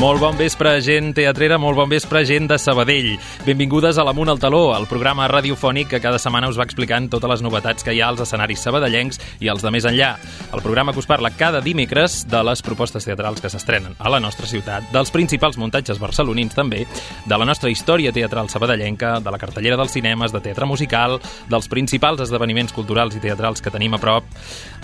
Molt bon vespre, gent teatrera, molt bon vespre, gent de Sabadell. Benvingudes a l'Amunt al Taló, el programa radiofònic que cada setmana us va explicant totes les novetats que hi ha als escenaris sabadellencs i els de més enllà. El programa que us parla cada dimecres de les propostes teatrals que s'estrenen a la nostra ciutat, dels principals muntatges barcelonins també, de la nostra història teatral sabadellenca, de la cartellera dels cinemes, de teatre musical, dels principals esdeveniments culturals i teatrals que tenim a prop.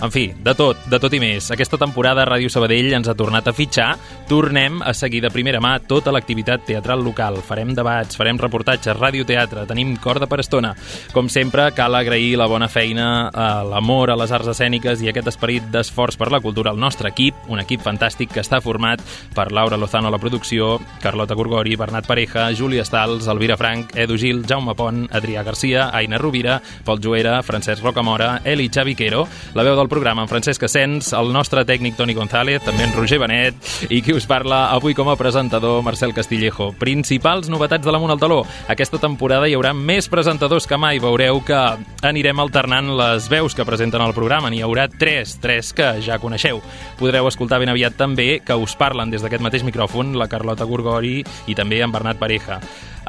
En fi, de tot i més. Aquesta temporada Ràdio Sabadell ens ha tornat a fitxar. Tornem a seguir de primera mà tota l'activitat teatral local. Farem debats, farem reportatges, radioteatre, tenim corda per estona. Com sempre, cal agrair la bona feina, l'amor a les arts escèniques i aquest esperit d'esforç per la cultura al nostre equip, un equip fantàstic que està format per Laura Lozano a la producció, Carlota Gorgori, Bernat Pareja, Júlia Stals, Elvira Frank, Edu Gil, Jaume Pont, Adrià Garcia, Aina Rovira, Pol Joera, Francesc Rocamora, Eli Xaviquero, la veu del programa en Francesc Asens, el nostre tècnic Toni González, també en Roger Benet i qui us parla avui com a presentador, Marcel Castillejo. Principals novetats de l'Amunt al Taló. Aquesta temporada hi haurà més presentadors que mai. Veureu que anirem alternant les veus que presenten el programa. N'hi haurà tres que ja coneixeu. Podreu escoltar ben aviat també que us parlen des d'aquest mateix micròfon la Carlota Gorgori i també en Bernat Pareja.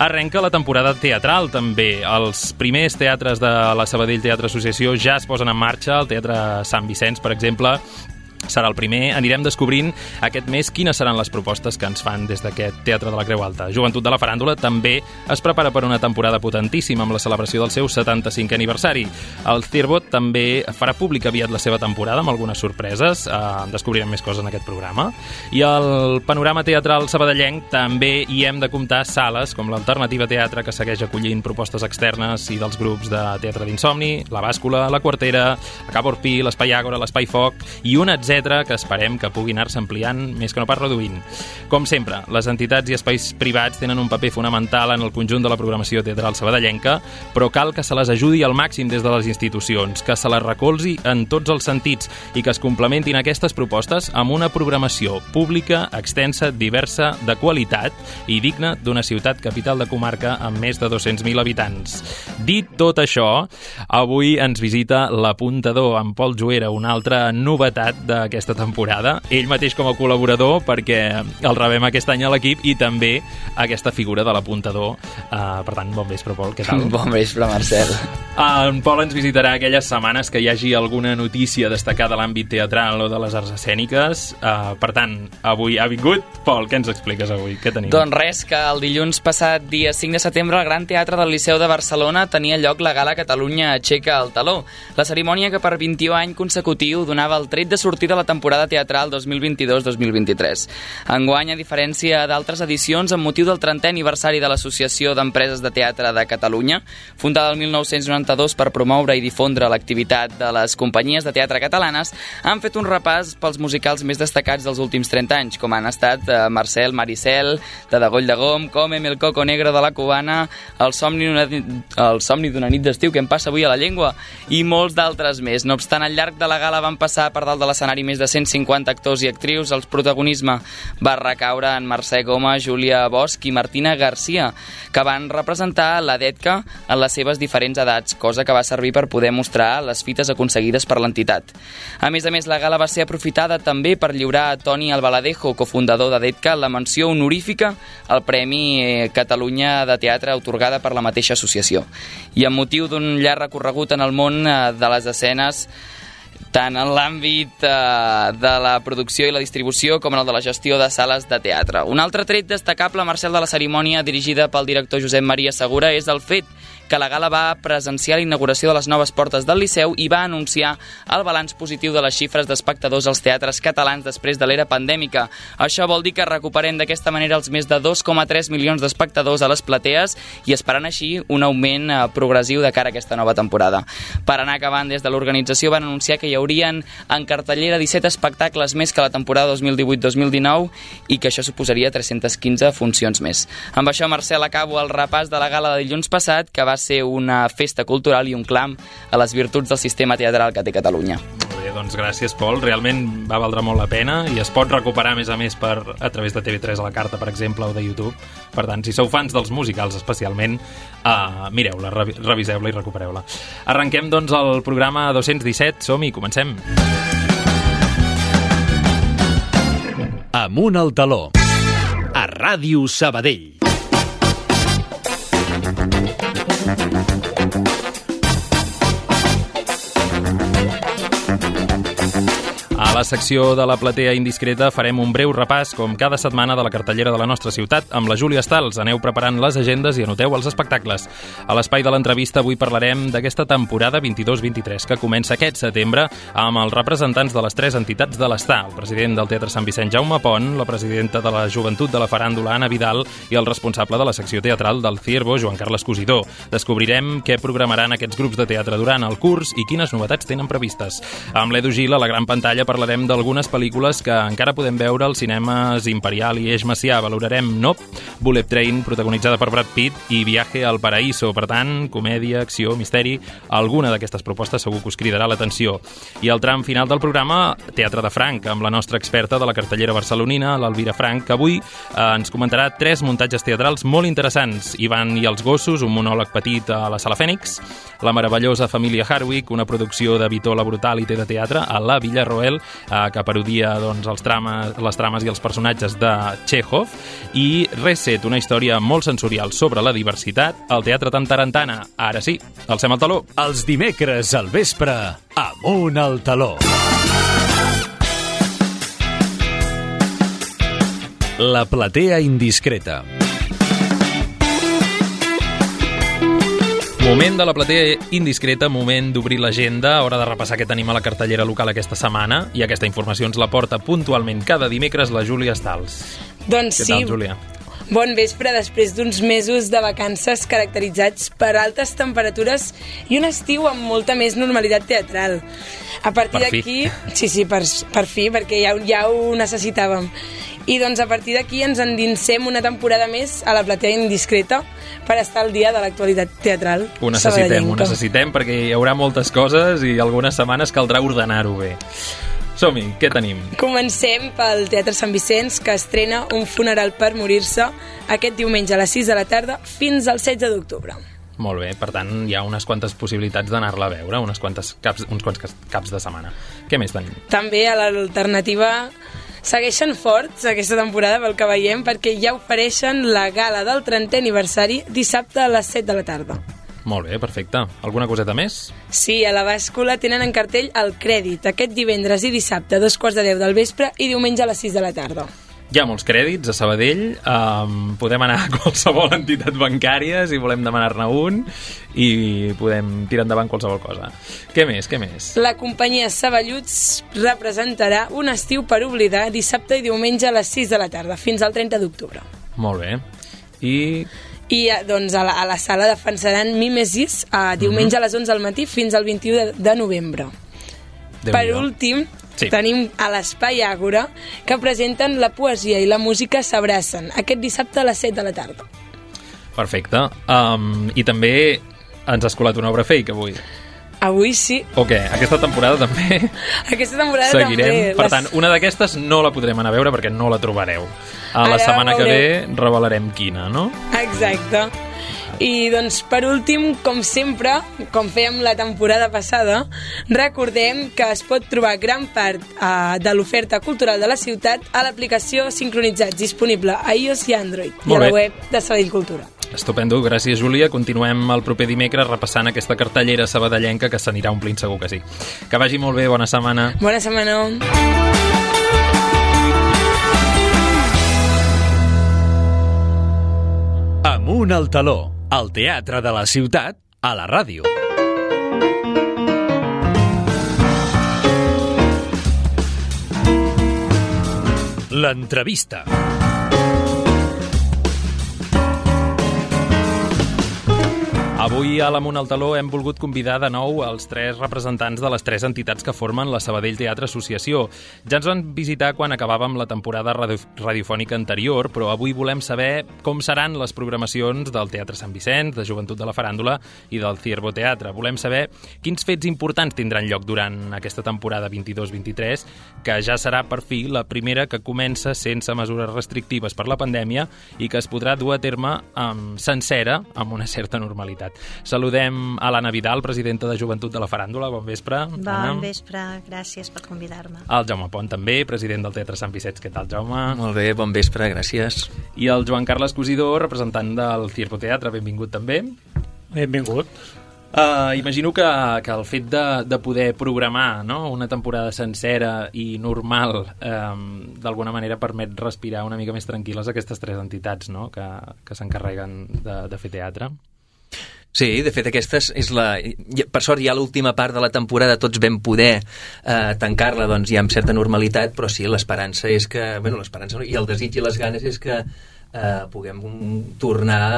Arrenca la temporada teatral, també. Els primers teatres de la Sabadell Teatre Associació ja es posen en marxa. El Teatre Sant Vicenç, per exemple, serà el primer. Anirem descobrint aquest mes quines seran les propostes que ens fan des d'aquest Teatre de la Creu Alta. Joventut de la Faràndula també es prepara per una temporada potentíssima amb la celebració del seu 75è aniversari. El Cirbot també farà públic aviat la seva temporada amb algunes sorpreses. Descobrirem més coses en aquest programa. I el panorama teatral sabadellenc també hi hem de comptar sales com l'Alternativa Teatre, que segueix acollint propostes externes i dels grups de teatre d'insomni, la Bàscula, la Quartera, la Cap Orpí, l'Espai Àgora, l'Espai Foc i un etc que esperem que puguin anar-se ampliant més que no pas reduint. Com sempre, les entitats i espais privats tenen un paper fonamental en el conjunt de la programació teatral sabadellenca, però cal que se les ajudi al màxim des de les institucions, que se les recolzi en tots els sentits i que es complementin aquestes propostes amb una programació pública, extensa, diversa, de qualitat i digna d'una ciutat capital de comarca amb més de 200.000 habitants. Dit tot això, avui ens visita l'apuntador, en Pol Joera, una altra novetat d'aquesta temporada. Ell mateix com a col·laborador, perquè el rebem aquest any a l'equip, i també aquesta figura de l'apuntador. Per tant, bon vespre, Pol, què tal? Bon vespre, Marcel. En Pol ens visitarà aquelles setmanes que hi hagi alguna notícia destacada a l'àmbit teatral o de les arts escèniques. Per tant, avui ha vingut. Pol, què ens expliques avui? Què tenim? Doncs res, que el dilluns passat, dia 5 de setembre, al Gran Teatre del Liceu de Barcelona tenia lloc la gala Catalunya aixeca el taló. La cerimònia que per 21 anys consecutiu donava el tret de sortida de la temporada teatral 2022-2023. Enguany, a diferència d'altres edicions, amb motiu del 30è aniversari de l'Associació d'Empreses de Teatre de Catalunya, fundada el 1992 per promoure i difondre l'activitat de les companyies de teatre catalanes, han fet un repàs pels musicals més destacats dels últims 30 anys, com han estat Marcel, Maricel, de Degoll de Gom, Comem, El Coco Negro de la Cubana, El somni d'una nit d'estiu que em passa avui a la llengua, i molts d'altres més. No obstant, al llarg de la gala van passar per dalt de l'escenari més de 150 actors i actrius. El protagonisme va recaure en Mercè Goma, Júlia Bosch i Martina Garcia, que van representar la DETCA en les seves diferents edats, cosa que va servir per poder mostrar les fites aconseguides per l'entitat. A més, la gala va ser aprofitada també per lliurar a Toni Albaladejo, cofundador de DETCA, la menció honorífica al Premi Catalunya de Teatre atorgada per la mateixa associació. I amb motiu d'un llarg recorregut en el món de les escenes, tant en l'àmbit de la producció i la distribució com en el de la gestió de sales de teatre. Un altre tret destacable, Marcel, de la cerimònia dirigida pel director Josep Maria Segura és el fet que la gala va presenciar la inauguració de les noves portes del Liceu i va anunciar el balanç positiu de les xifres d'espectadors als teatres catalans després de l'era pandèmica. Això vol dir que recuperem d'aquesta manera els més de 2,3 milions d'espectadors a les platees i esperant així un augment progressiu de cara a aquesta nova temporada. Per anar acabant, des de l'organització van anunciar que hi haurien en cartellera 17 espectacles més que la temporada 2018-2019 i que això suposaria 315 funcions més. Amb això, Marcel, acabo el repàs de la gala de dilluns passat, que va ser una festa cultural i un clam a les virtuts del sistema teatral que té Catalunya. Molt bé, Doncs gràcies, Pol. Realment va valdre molt la pena i es pot recuperar, a més, a través de TV3 a la carta, per exemple, o de YouTube. Per tant, si sou fans dels musicals especialment, mireu-la, reviseu-la i recupereu-la. Arrenquem, doncs, el programa 217. Som-hi, comencem. Amunt al taló. A Ràdio Sabadell. A la secció de la platea indiscreta farem un breu repàs, com cada setmana, de la cartellera de la nostra ciutat amb la Júlia Stals. Aneu preparant les agendes i anoteu els espectacles. A l'espai de l'entrevista avui parlarem d'aquesta temporada 22-23 que comença aquest setembre amb els representants de les 3 entitats de l'Està, el president del Teatre Sant Vicent, Jaume Pont, la presidenta de la Joventut de la Faràndula, Anna Vidal, i el responsable de la secció teatral del Ciervo, Joan Carles Cosidó. Descobrirem què programaran aquests grups de teatre durant el curs i quines novetats tenen previstes. Amb l'Edu Gil, a la gran pantalla, parlarem d'algunes pel·lícules que encara podem veure als cinemes Imperial i Eix Macià. Valorarem Nope, Bullet Train, protagonitzada per Brad Pitt, i Viaje al Paraíso. Per tant, comèdia, acció, misteri, alguna d'aquestes propostes segur que us cridarà l'atenció. I al tram final del programa, Teatre de Franc, amb la nostra experta de la cartellera barcelonina, l'Elvira Frank, que avui ens comentarà 3 muntatges teatrals molt interessants. Ivan i els gossos, un monòleg petit a la Sala Fènix, La meravellosa família Harwick, una producció de Vitó la Brutalité de teatre a la Villarroel, que parodia, doncs, les trames i els personatges de Chekhov, i Reset, una història molt sensorial sobre la diversitat al Teatre Tantarantana. Ara sí, alcem el taló. Els dimecres al vespre, Amunt al taló. La platea indiscreta. Moment de la platea indiscreta, moment d'obrir l'agenda, hora de repassar què tenim a la cartellera local aquesta setmana, i aquesta informació ens la porta puntualment cada dimecres la Júlia Stals. Doncs Què sí. tal, Júlia? Bon vespre, després d'uns mesos de vacances caracteritzats per altes temperatures i un estiu amb molta més normalitat teatral. A partir d'aquí... Sí, per fi, perquè ja ho necessitàvem. I doncs a partir d'aquí ens endinsem una temporada més a la platea indiscreta per estar al dia de l'actualitat teatral. Ho necessitem perquè hi haurà moltes coses i algunes setmanes caldrà ordenar-ho bé. Som-hi, què tenim? Comencem pel Teatre Sant Vicenç, que estrena Un funeral per morir-se aquest diumenge a les 6 de la tarda fins al 16 d'octubre. Molt bé, per tant, hi ha unes quantes possibilitats d'anar-la a veure, uns quants caps de setmana. Què més tenim? També a l'alternativa segueixen forts aquesta temporada, pel que veiem, perquè ja ofereixen la gala del 30è aniversari dissabte a les 7 de la tarda. Molt bé, perfecte. Alguna coseta més? Sí, a la bàscula tenen en cartell El Crèdit, aquest divendres i dissabte a 2:15 del vespre i diumenge a les 6 de la tarda. Hi ha molts crèdits a Sabadell, podem anar a qualsevol entitat bancària si volem demanar-ne un i podem tirar endavant qualsevol cosa. Què més? La companyia Saballuts representarà Un estiu per oblidar dissabte i diumenge a les 6 de la tarda fins al 30 d'octubre. Molt bé. I doncs a la sala defensaran Mimesis diumenge a les 11 del matí fins al 21 de novembre. Per últim, tenim a l'Espai Àgora, que presenten La poesia i la música s'abracen aquest dissabte a les 7 de la tarda. Perfecte. I també ens has colat una obra fake avui. Avui sí. O què? Aquesta temporada també? Aquesta temporada seguirem. també. Per tant, una d'aquestes no la podrem anar a veure perquè no la trobareu. La setmana que ve revelarem quina, no? Exacte. I doncs per últim, com sempre, com fèiem la temporada passada, recordem que es pot trobar gran part de l'oferta cultural de la ciutat a l'aplicació Sincronitzats, disponible a iOS i Android, i a la web de Sabadell Cultura. Estupendo, gràcies Júlia. Continuem el proper dimecres repassant aquesta cartellera sabadellenca que s'anirà omplint segur que sí. Que vagi molt bé, bona setmana. Bona setmana. Amunt al taló, al teatre de la ciutat, a la ràdio. L'entrevista. Avui a l'Amunt al Taló hem volgut convidar de nou els 3 representants de les 3 entitats que formen la Sabadell Teatre Associació. Ja ens van visitar quan acabàvem la temporada radiofònica anterior, però avui volem saber com seran les programacions del Teatre Sant Vicenç, de Joventut de la Faràndula i del Ciervo Teatre. Volem saber quins fets importants tindran lloc durant aquesta temporada 22-23, que ja serà per fi la primera que comença sense mesures restrictives per la pandèmia i que es podrà dur a terme sencera, amb una certa normalitat. Saludem a l'Anna Vidal, presidenta de Joventut de la Faràndula. Bon vespre. Bon vespre, gràcies per convidar-me. El Jaume Pont també, president del Teatre Sant Vicenç. Què tal, Jaume? Molt bé, bon vespre, gràcies. I el Joan Carles Cosidor, representant del Ciervo Teatre. Benvingut també. Benvingut. Imagino que el fet de poder programar, no?, una temporada sencera i normal d'alguna manera permet respirar una mica més tranquil·les aquestes 3 entitats, no?, que s'encarreguen de fer teatre. Sí, de fet aquesta és la... Per sort ja l'última part de la temporada tots vam poder tancar-la doncs ja amb certa normalitat, però sí, l'esperança és que... Bueno, l'esperança i el desig i les ganes és que puguem tornar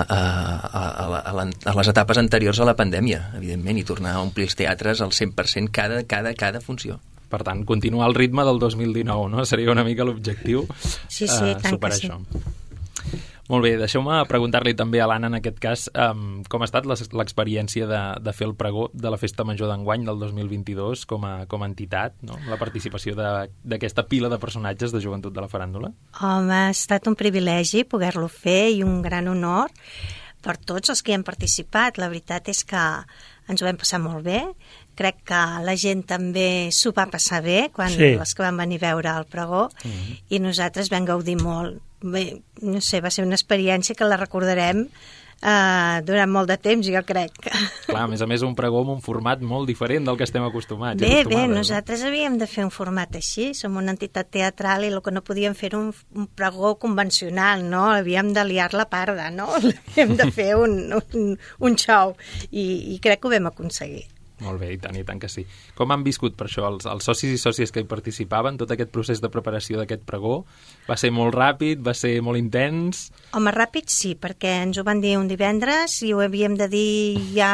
a les etapes anteriors a la pandèmia, evidentment, i tornar a omplir els teatres al 100% cada funció. Per tant, continuar el ritme del 2019, no? Seria una mica l'objectiu. Sí, tant superar que sí. això. Molt bé, deixeu-me preguntar-li també a l'Anna, en aquest cas, com ha estat l'experiència de fer el pregó de la Festa Major d'enguany del 2022 com a entitat, no? La participació d'aquesta pila de personatges de Joventut de la Faràndula? Home, ha estat un privilegi poder-lo fer i un gran honor per tots els que hi han participat. La veritat és que ens ho vam passar molt bé. Crec que la gent també s'ho va passar bé quan els que van venir a veure el pregó i nosaltres vam gaudir molt. Bé, no sé, va ser una experiència que la recordarem durant molt de temps, jo crec. Clar, a més, un pregó amb un format molt diferent del que estem acostumats. Bé, nosaltres havíem de fer un format així, som una entitat teatral i el que no podíem fer era un pregó convencional, no? Havíem de liar la parda, no? Havíem de fer un show i crec que ho vam aconseguir. Molt bé, i tant que sí. Com han viscut per això els socis i sòcies que hi participaven, tot aquest procés de preparació d'aquest pregó? Va ser molt ràpid? Va ser molt intens? Home, ràpid sí, perquè ens ho van dir un divendres i ho havíem de dir ja,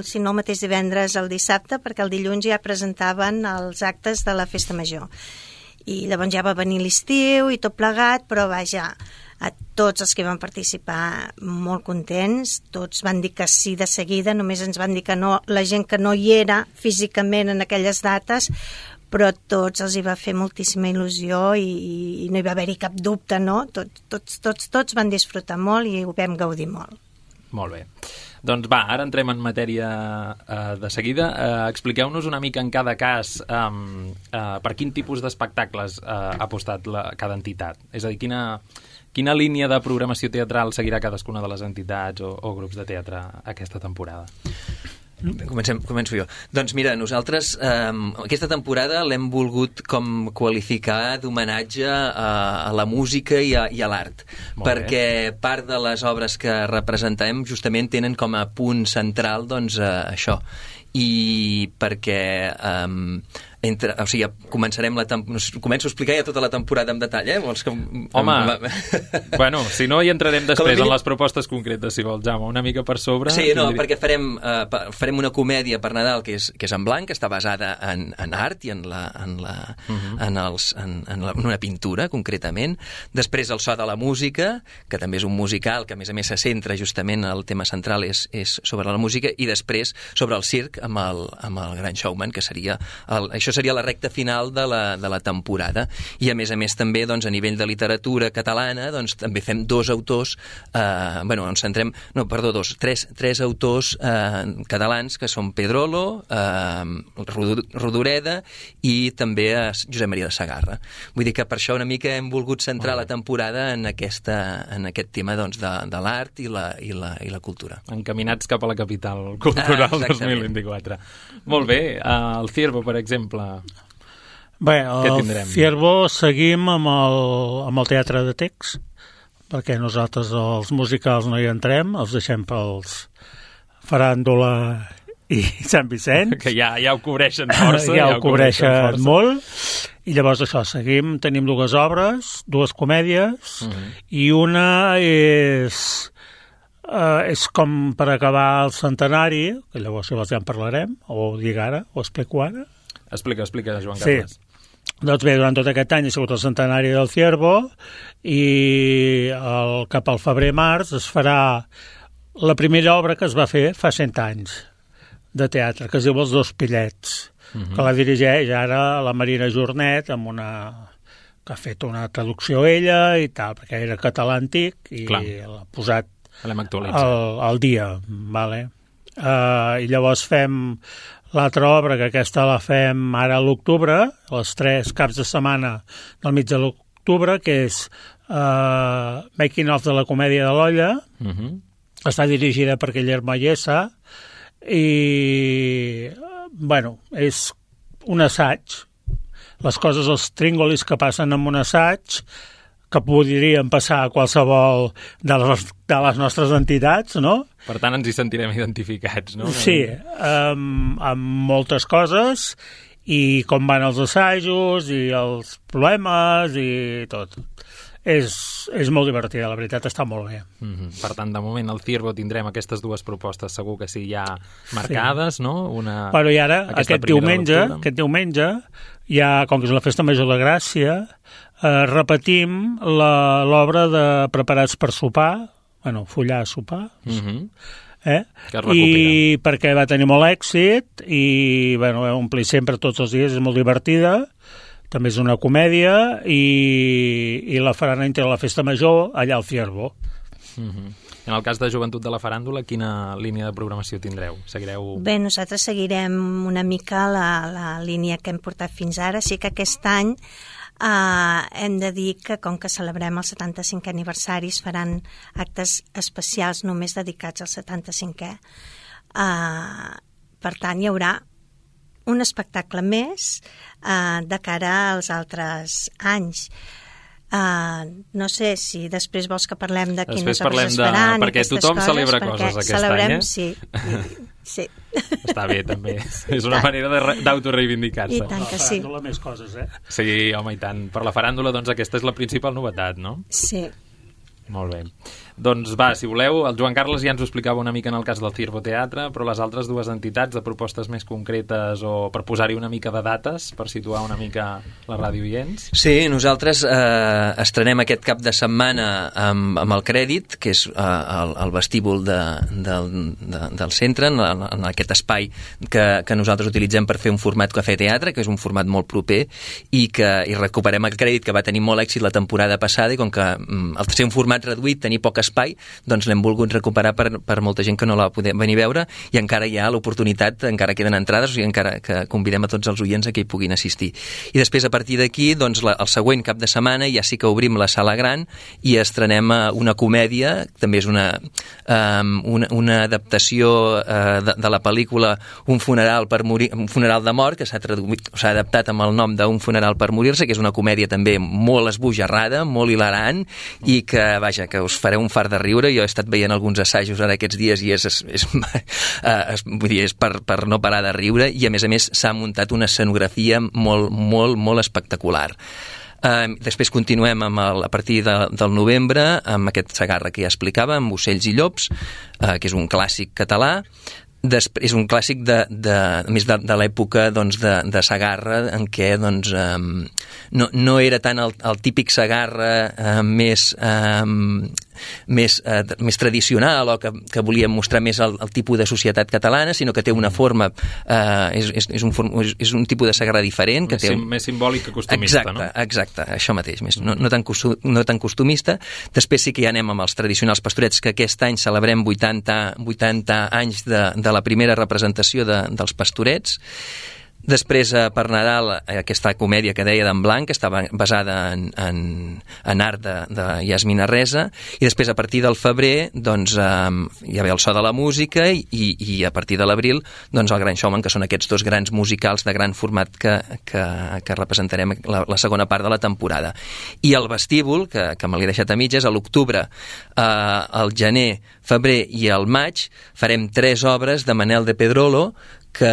si no el mateix divendres, el dissabte, perquè el dilluns ja presentaven els actes de la Festa Major. I llavors ja va venir l'estiu i tot plegat, però vaja, a tots els que van participar molt contents, tots van dir que sí de seguida, només ens van dir que no, la gent que no hi era físicament en aquelles dates, però tots els hi va fer moltíssima il·lusió i no hi va haver-hi cap dubte, no? Tots van disfrutar molt i ho vam gaudir molt. Molt bé. Doncs va, ara entrem en matèria de seguida. Expliqueu-nos una mica en cada cas per quin tipus d'espectacles ha apostat cada entitat. És a dir, quina línia de programació teatral seguirà cadascuna de les entitats o grups de teatre aquesta temporada? Començo jo. Doncs mira, nosaltres aquesta temporada l'hem volgut com qualificar d'homenatge a la música i a l'art, perquè part de les obres que representem justament tenen com a punt central doncs això, i perquè començarem començo a explicar ja tota la temporada en detall, Vols que... Home, bueno, si no hi entrarem després en les propostes concretes, si vols, Jaume, una mica per sobre. Sí, no, perquè farem una comèdia per Nadal que és en blanc, que està basada en art i en una pintura, concretament. Després el so de la música, que també és un musical, que a més se centra justament, el tema central és sobre la música, i després sobre el circ amb el Gran Showman, que seria això seria la recta final de la temporada. I a més també doncs, a nivell de literatura catalana doncs, també fem tres autors catalans, que són Pedrolo, Rodoreda i també Josep Maria de Sagarra. Vull dir que per això una mica hem volgut centrar la temporada en aquest tema doncs, de l'art i la cultura. Encaminats cap a la capital cultural 2024. Molt bé, el Ciervo, per exemple. Bé, el Ciervo seguim amb el teatre de text, perquè nosaltres els musicals no hi entrem, els deixem pels Faràndula i Sant Vicenç. Que ja ho cobreixen força. Ja ho cobreixen molt. I llavors això, tenim 2 obres, 2 comèdies, i una és és com per acabar el centenari, que llavors si vols ja en parlarem, o ho dic ara, o explico ara. Explica, Joan Carles. Doncs bé, durant tot aquest any ha sigut el centenari del Ciervo i cap al febrer-març es farà la primera obra que es va fer fa 100 anys de teatre, que es diu Els dos pillets, que la dirigeix ara la Marina Jornet, que ha fet una traducció ella i tal, perquè era català antic i l'ha posat al dia. Vale? I llavors fem l'altra obra, que aquesta la fem ara a l'octubre, els 3 caps de setmana del mig de l'octubre, que és Making of de la comèdia de l'Olla. Està dirigida per Guillermo Ayesa i, bueno, és un assaig. Les coses, els tringolis que passen en un assaig, que podrien passar a qualsevol de les nostres entitats, no? Per tant, ens hi sentirem identificats, no? Sí, amb moltes coses, i com van els assajos, i els problemes, i tot. És molt divertida, la veritat, està molt bé. Per tant, de moment, al Ciervo tindrem aquestes 2 propostes, segur que sí, ja marcades, no? I ara, aquest diumenge, ja, com que és la Festa Major de Gràcia, repetim l'obra de Preparats per sopar, follar a sopar, i perquè va tenir molt èxit, i va omplir sempre tots els dies, és molt divertida, també és una comèdia, i la faran entre la Festa Major allà al Ciervo. En el cas de Joventut de la Faràndula, quina línia de programació tindreu? Seguireu... Bé, nosaltres seguirem una mica la línia que hem portat fins ara. Sí que aquest any hem de dir que, com que celebrem el 75è aniversari, es faran actes especials només dedicats al 75è. Per tant, hi haurà un espectacle més de cara als altres anys. No sé si després vols que parlem de quines obres es faran, perquè tothom celebra coses aquest any, Sí. Està bé, també. És una manera d'autoreivindicar-se. I tant que sí. Per la faràndula més coses, Sí, home, i tant. Per la faràndula, doncs, aquesta és la principal novetat, no? Sí. Molt bé. Doncs va, si voleu, el Joan Carles ja ens ho explicava una mica en el cas del Ciervo Teatre, però les altres 2 entitats de propostes més concretes o per posar-hi una mica de dates, per situar una mica la ràdio oients. Sí, nosaltres estrenem aquest cap de setmana amb el Crèdit, que és el vestíbul del centre, en aquest espai que nosaltres utilitzem per fer un format cafè-teatre, que és un format molt proper, i recuperem el Crèdit, que va tenir molt èxit la temporada passada, i com que al ser un format reduït, tenir poc espai, doncs l'hem volgut recuperar per molta gent que no la va poder venir a veure, i encara hi ha l'oportunitat, encara queden entrades, o sigui, encara que convidem a tots els oients a que hi puguin assistir. I després, a partir d'aquí, doncs, el següent cap de setmana ja sí que obrim la sala gran i estrenem una comèdia, també és una adaptació de la pel·lícula Un funeral de mort, que s'ha adaptat amb el nom d'Un funeral per morir-se, que és una comèdia també molt esbojarrada, molt hilarant, i que, vaja, que us fareu un fart de riure. Jo he estat veient alguns assajos ara aquests dies i és per no parar de riure, i a més s'ha muntat una escenografia molt espectacular. Després continuem a partir del novembre amb aquest Segarra que ja explicava, amb Ocells i llops, que és un clàssic català. És un clàssic més de l'època de Segarra, en què no era tant el típic Segarra més tradicional, o que volia mostrar més el tipus de societat catalana, sinó que té una forma, és un tipus de Segarra diferent, més simbòlic que costumista. Exacte, això mateix, no tan costumista. Després sí que ja anem amb els tradicionals Pastorets, que aquest any celebrem 80 anys de la primera representació dels Pastorets. Després, per Nadal, aquesta comèdia que deia d'en Blanc, que estava basada en art de Yasmina Resa, i després, a partir del febrer, doncs, hi ha el So de la Música, i a partir de l'abril, doncs, el Gran Showman, que són aquests 2 grans musicals de gran format que representarem la segona part de la temporada. I el vestíbul, que me l'he deixat a mitges, a l'octubre, al gener, febrer i al maig, farem 3 obres de Manel de Pedrolo, que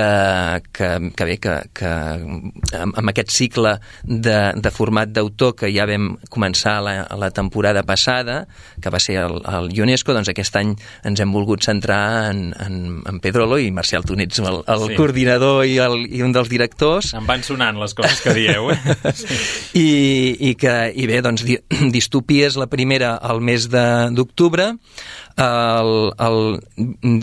amb aquest cicle de format d'autor que ja vam començar la temporada passada, que va ser el UNESCO, doncs aquest any ens hem volgut centrar en Pedrolo, i Marcial, tu n'ets el coordinador i un dels directors. Em van sonant les coses que dieu, Sí. I bé, doncs Distopia és la primera al mes d'octubre,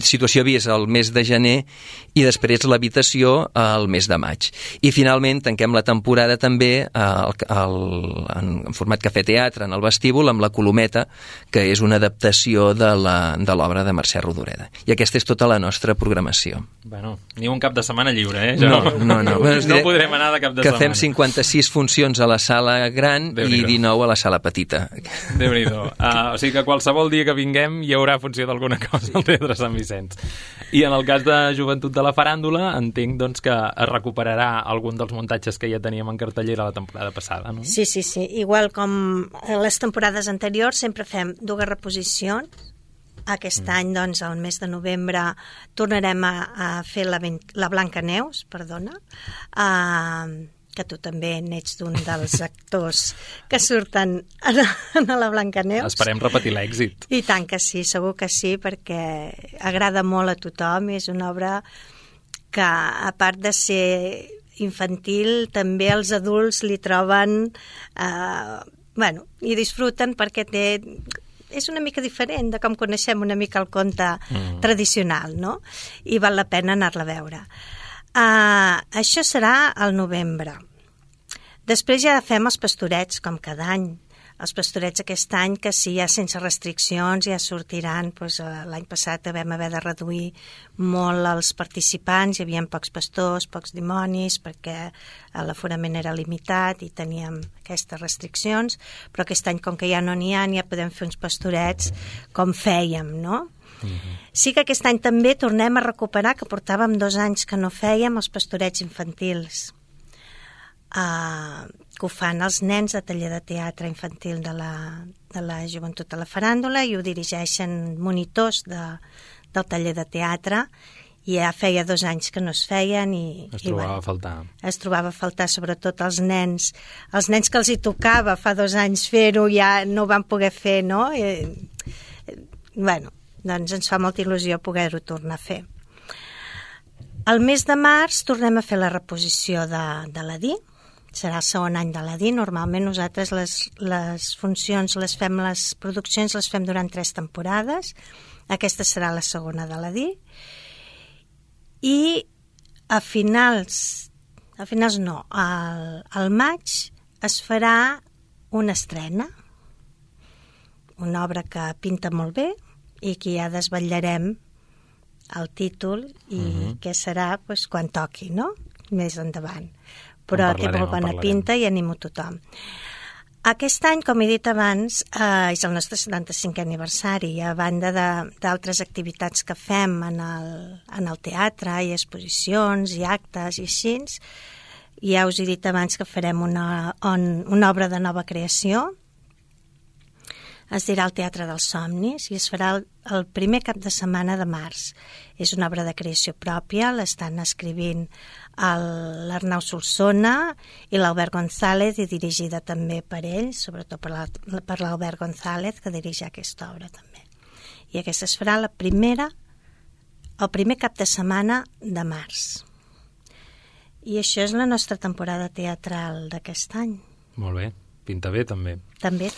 Situació Vis al mes de gener i després l'Habitació al mes de maig. I finalment tanquem la temporada també en format cafè-teatre en el vestíbul amb La Colometa, que és una adaptació de l'obra de Mercè Rodoreda. I aquesta és tota la nostra programació. Bueno, ni un cap de setmana lliure, No. No podrem anar de cap de setmana. Que fem 56 funcions a la sala gran i 19 a la sala petita. Déu-n'hi-do. O sigui que qualsevol dia que vinguem hi haurà funció d'alguna cosa al Teatre Sant Vicenç. I en el cas de Joventut de la Faràndula, entenc doncs, que es recuperarà algun dels muntatges que ja teníem en cartellera la temporada passada, no? Sí. Igual com les temporades anteriors, sempre fem 2 reposicions. Aquest any, doncs, al mes de novembre, tornarem a fer la Blancaneus, que tu també n'ets d'un dels actors que surten a la Blancaneus. Esperem repetir l'èxit. I tant que sí, segur que sí, perquè agrada molt a tothom i és una obra que, a part de ser infantil, també els adults li troben... i disfruten perquè és una mica diferent de com coneixem una mica el conte tradicional, no? I val la pena anar-la a veure. Això serà al novembre. Després ja fem els Pastorets, com cada any. Els Pastorets aquest any, que sí, ja sense restriccions, ja sortiran. L'any passat vam haver de reduir molt els participants, hi havia pocs pastors, pocs dimonis, perquè l'aforament era limitat i teníem aquestes restriccions, però aquest any, com que ja no n'hi ha, ja podem fer uns Pastorets com fèiem, no? Sí que aquest any també tornem a recuperar, que portàvem 2 anys que no fèiem, els Pastorets infantils, que ho fan els nens de taller de teatre infantil de la Joventut de la Faràndula, i ho dirigeixen monitors del taller de teatre, i ja feia 2 anys que no es feien i es trobava a faltar. Es trobava a faltar, sobretot els nens que els hi tocava fa 2 anys fer-ho, ja no ho van poder fer, no? Doncs ens fa molta il·lusió poder-ho tornar a fer. Al mes de març tornem a fer la reposició de l'Aladí. Serà el segon any de l'Aladí. Normalment nosaltres les funcions, les produccions les fem durant 3 temporades. Aquesta serà la segona de l'Aladí. I al maig es farà una estrena, una obra que pinta molt bé i que ja desvetllarem el títol i què serà quan toqui, no? Més endavant. Però té molt bona pinta i animo tothom. Aquest any, com he dit abans, és el nostre 75è aniversari, a banda d'altres activitats que fem en el teatre, i exposicions i actes i així. Ja us he dit abans que farem una obra de nova creació. Es dirà el Teatre dels Somnis i es farà el primer cap de setmana de març. És una obra de creació pròpia, l'estan escrivint l'Arnau Solsona i l'Albert González, i dirigida també per ell, sobretot per l'Albert González, que dirigeix aquesta obra també. I aquesta es farà el primer cap de setmana de març. I això és la nostra temporada teatral d'aquest any. Molt bé, pinta bé també. També.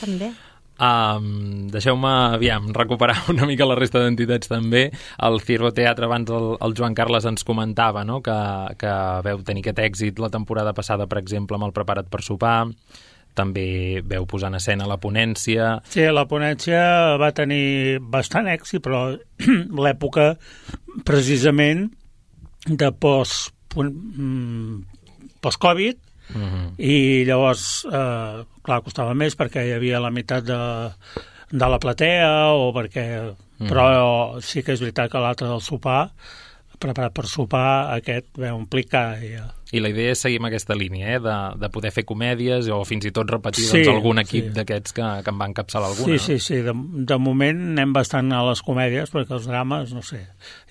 Deixeu-me, recuperar una mica la resta d'entitats també. El Ciervo Teatre, abans el Joan Carles ens comentava, no? que veu tenir aquest èxit la temporada passada, per exemple, amb el Prepara't per sopar. També veu posar en escena la ponència. Sí, la ponència va tenir bastant èxit, però l'època precisament de post-Covid, i llavors clar, costava més perquè hi havia la meitat de la platea, o perquè però sí que és veritat que l'altre del sopar preparat per sopar, aquest ve omplir cada dia. I la idea és seguir amb aquesta línia, de poder fer comèdies o fins i tot repetir algun equip d'aquests que en va encapçalar alguna. Sí. De moment anem bastant a les comèdies, perquè els drames, no sé,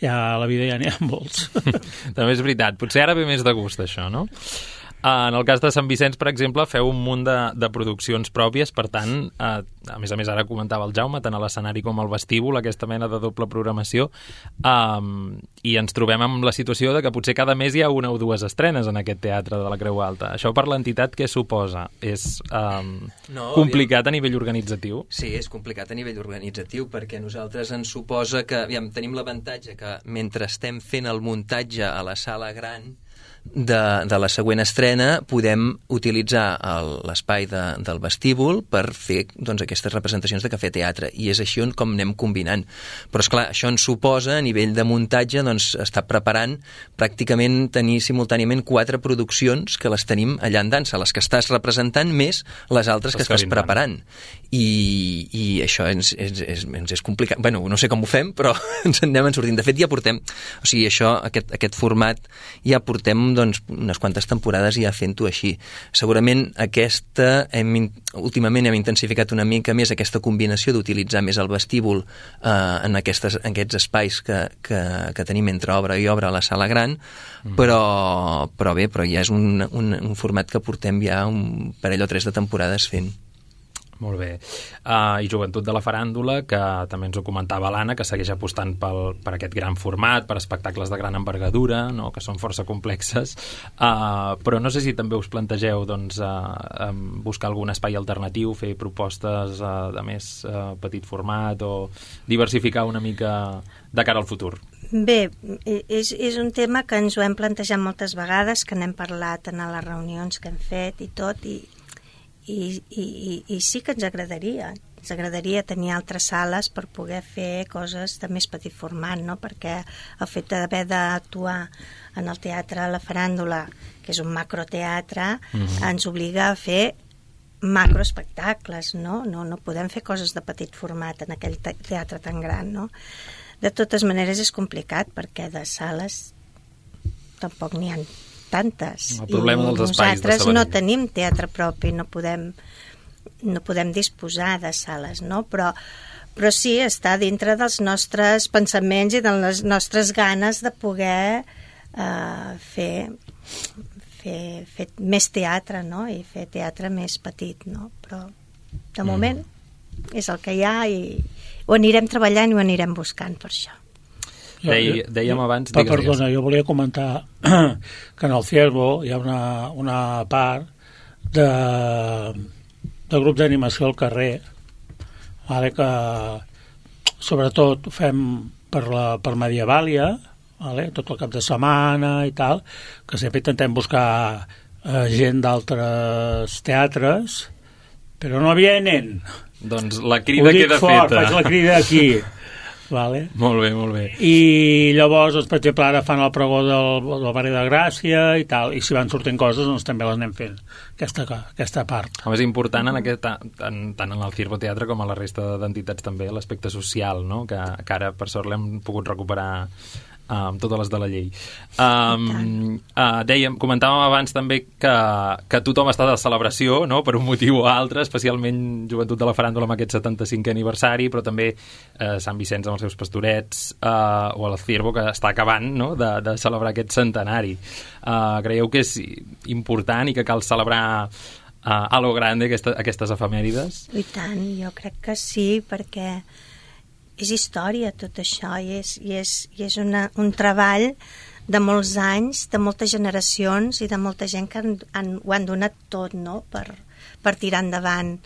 a la vida ja n'hi ha molts. També és veritat. Potser ara ve més de gust, això, no? En el cas de Sant Vicenç, per exemple, feu un munt de produccions pròpies, per tant, a més, ara comentava el Jaume, tant a l'escenari com al vestíbul, aquesta mena de doble programació, i ens trobem amb la situació de que potser cada mes hi ha una o dues estrenes en aquest teatre de la Creu Alta. Això per l'entitat què suposa? És complicat a nivell organitzatiu? Sí, és complicat a nivell organitzatiu, perquè nosaltres ens suposa que tenim l'avantatge que mentre estem fent el muntatge a la sala gran de la següent estrena podem utilitzar l'espai del vestíbul per fer aquestes representacions de cafè teatre, i és així com anem combinant. Però esclar, això ens suposa a nivell de muntatge estar preparant pràcticament tenir simultàniament 4 produccions que les tenim allà en dansa, les que estàs representant més les altres que estàs preparant, i això ens és complicat. Bueno, no sé com ho fem, però ens en anem sortint. De fet, ja portem, o sigui, aquest format ja portem unes quantes temporades ja fent-ho així. Segurament últimament hem intensificat una mica més aquesta combinació d'utilitzar més el vestíbul en aquests espais que tenim entre obra i obra a la sala gran, però ja és un format que portem ja un parell o 3 de temporades fent. Molt bé. I Joventut de la Faràndula, que també ens ho comentava l'Anna, que segueix apostant per aquest gran format, per espectacles de gran envergadura, no? Que són força complexes, però no sé si també us plantegeu buscar algun espai alternatiu, fer propostes de més petit format o diversificar una mica de cara al futur. Bé, és un tema que ens ho hem plantejat moltes vegades, que n'hem parlat en les reunions que hem fet i tot, i sí que ens agradaria tenir altres sales per poder fer coses de més petit format, no? Perquè el fet d'haver d'actuar en el teatre La Faràndula, que és un macroteatre, ens obliga a fer macroespectacles, no? No podem fer coses de petit format en aquell teatre tan gran, no? De totes maneres és complicat, perquè de sales tampoc n'hi ha tantes. El problema dels espais de nosaltres no tenim teatre propi, no podem disposar de sales, no? Però sí està dintre dels nostres pensaments i de les nostres ganes de poder fer més teatre, no? I fer teatre més petit, no? Però de moment és el que hi ha, i ho anirem treballant i ho anirem buscant per això. Dèiem abans... Perdona, jo volia comentar que en el Ciervo hi ha una part de grup d'animació al carrer, vale, que sobretot fem per Medievàlia, vale, tot el cap de setmana i tal, que sempre intentem buscar gent d'altres teatres, però no vienen. Doncs la crida queda feta. Faig la crida aquí. Vale. Molt bé. I llavors, per exemple, ara fan el pregó del barri de Gràcia i tal, i si van sortint coses, també les anem fent, aquesta part. Home, és important tant en el Ciervo Teatre com a la resta d'entitats també, l'aspecte social, no? Que ara, per sort, l'hem pogut recuperar amb totes les de la llei. Comentàvem abans també que tothom està de celebració, no? Per un motiu o altre, especialment Joventut de la Faràndula amb aquest 75è aniversari, però també Sant Vicenç amb els seus pastorets, o el Ciervo, que està acabant, no? de celebrar aquest centenari. Creieu que és important i que cal celebrar a lo grande aquestes efemèrides? I tant, jo crec que sí, perquè és història tot això, i és un treball de molts anys, de moltes generacions i de molta gent que ho han donat tot, no? per tirar endavant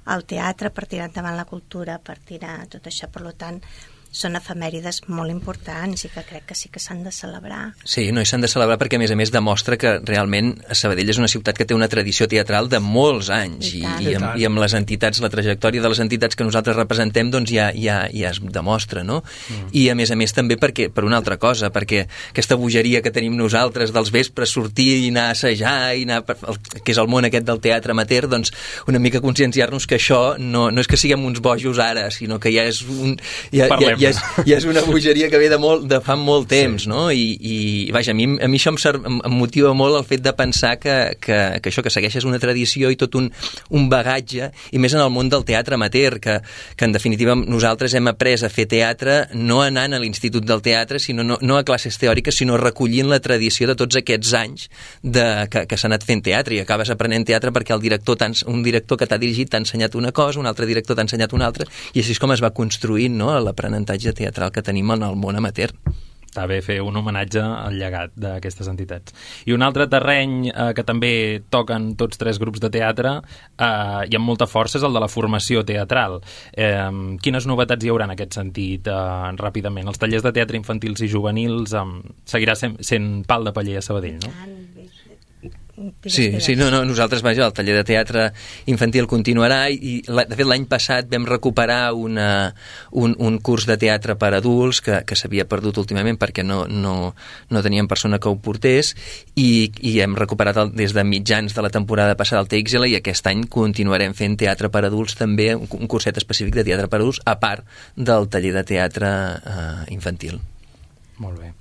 el teatre, per tirar endavant la cultura, per tirar tot això. Per tant, són efemèrides molt importants i que crec que sí que s'han de celebrar. Sí, no, i s'han de celebrar perquè, a més demostra que realment Sabadell és una ciutat que té una tradició teatral de molts anys, i amb les entitats, la trajectòria de les entitats que nosaltres representem, doncs ja es demostra, no? I a més també per una altra cosa, perquè aquesta bogeria que tenim nosaltres dels vespres, sortir i anar a assajar, que és el món aquest del teatre amateur, doncs una mica conscienciar-nos que això no és que siguem uns bojos ara, sinó que ja és Parlem és una bogeria que ve de fa molt temps, no? I vaja, a mi això em motiva molt el fet de pensar que això que segueix és una tradició i tot un bagatge, i més en el món del teatre amateur, que en definitiva nosaltres hem après a fer teatre no anant a l'Institut del Teatre, sinó no a classes teòriques, sinó recollint la tradició de tots aquests anys que s'ha anat fent teatre, i acabes aprenent teatre perquè un director que t'ha dirigit t'ha ensenyat una cosa, un altre director t'ha ensenyat una altra, i així és com es va construint, no?, l'aprenentatge teatral que tenim en el món amateur. Està bé fer un homenatge al llegat d'aquestes entitats. I un altre terreny que també toquen tots tres grups de teatre i amb molta força és el de la formació teatral. Quines novetats hi haurà en aquest sentit ràpidament? Els tallers de teatre infantils i juvenils seguirà sent pal de paller a Sabadell, no? Sí, nosaltres, vaja, el taller de teatre infantil continuarà i de fet l'any passat vam recuperar un curs de teatre per adults que s'havia perdut últimament perquè no teníem persona que ho portés, i hem recuperat des de mitjans de la temporada passada el TXL, i aquest any continuarem fent teatre per adults també, un curset específic de teatre per adults a part del taller de teatre infantil. Molt bé.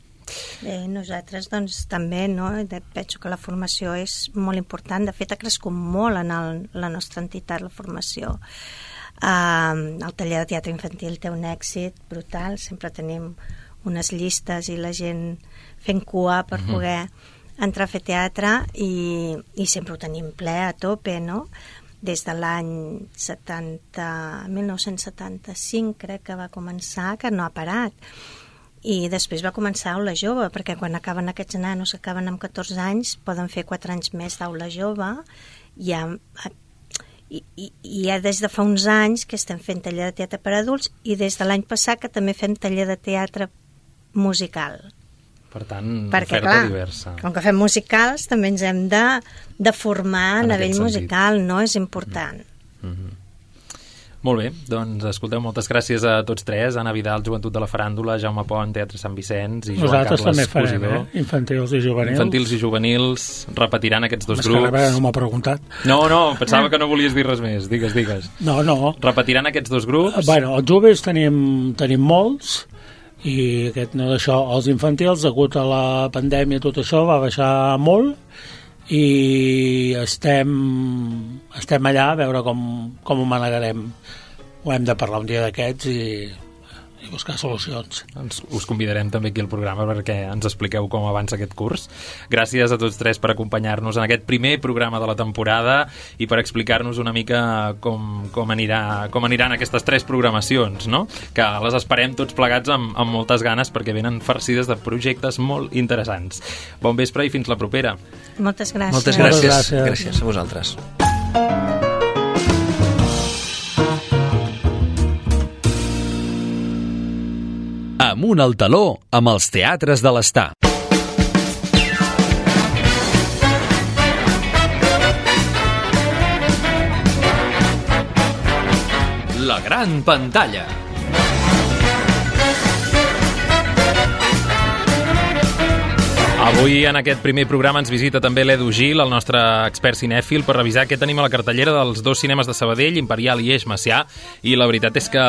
Bé, nosaltres doncs també, no? Penso que la formació és molt important. De fet, ha crescut molt en la nostra entitat, la formació. El taller de teatre infantil té un èxit brutal, sempre tenim unes llistes i la gent fent cua per poder entrar a fer teatre, i sempre ho tenim ple, a tope, no? Des de l'any 1975 crec que va començar, que no ha parat. I després va començar aula jove, perquè quan acaben aquests nanos, acaben amb 14 anys, poden fer 4 anys més d'aula jove, i ja des de fa uns anys que estem fent taller de teatre per adults, i des de l'any passat que també fem taller de teatre musical. Per tant, oferta diversa. Com que fem musicals, també ens hem de formar a nivell musical, no? És important. Molt bé, doncs escolteu, moltes gràcies a tots tres, Anna Vidal, Joventut de la Faràndula, Jaume Pont, Teatre Sant Vicenç, i Joan Carles també Cosidor. Farem, infantils i juvenils. Infantils i juvenils, repetiran aquests dos grups. No m'ha preguntat. No, pensava que no volies dir res més, digues. No. Repetiran aquests dos grups? Bueno, els joves tenim molts, i els infantils, degut a la pandèmia, tot això va baixar molt, i estem allà a veure com ho manegarem. Ho hem de parlar un dia d'aquests i buscar solucions. Doncs us convidarem també aquí al programa perquè ens expliqueu com avança aquest curs. Gràcies a tots tres per acompanyar-nos en aquest primer programa de la temporada i per explicar-nos una mica com aniran aquestes tres programacions, no? Que les esperem tots plegats amb moltes ganes perquè venen farcides de projectes molt interessants. Bon vespre i fins la propera. Moltes gràcies. Moltes gràcies. Gràcies a vosaltres. Amunt al taló amb els teatres de l'Estar. La gran pantalla. Avui en aquest primer programa ens visita també l'Edu Gil, el nostre expert cinèfil, per revisar què tenim a la cartellera dels dos cinemes de Sabadell, Imperial i Eix Macià, i la veritat és que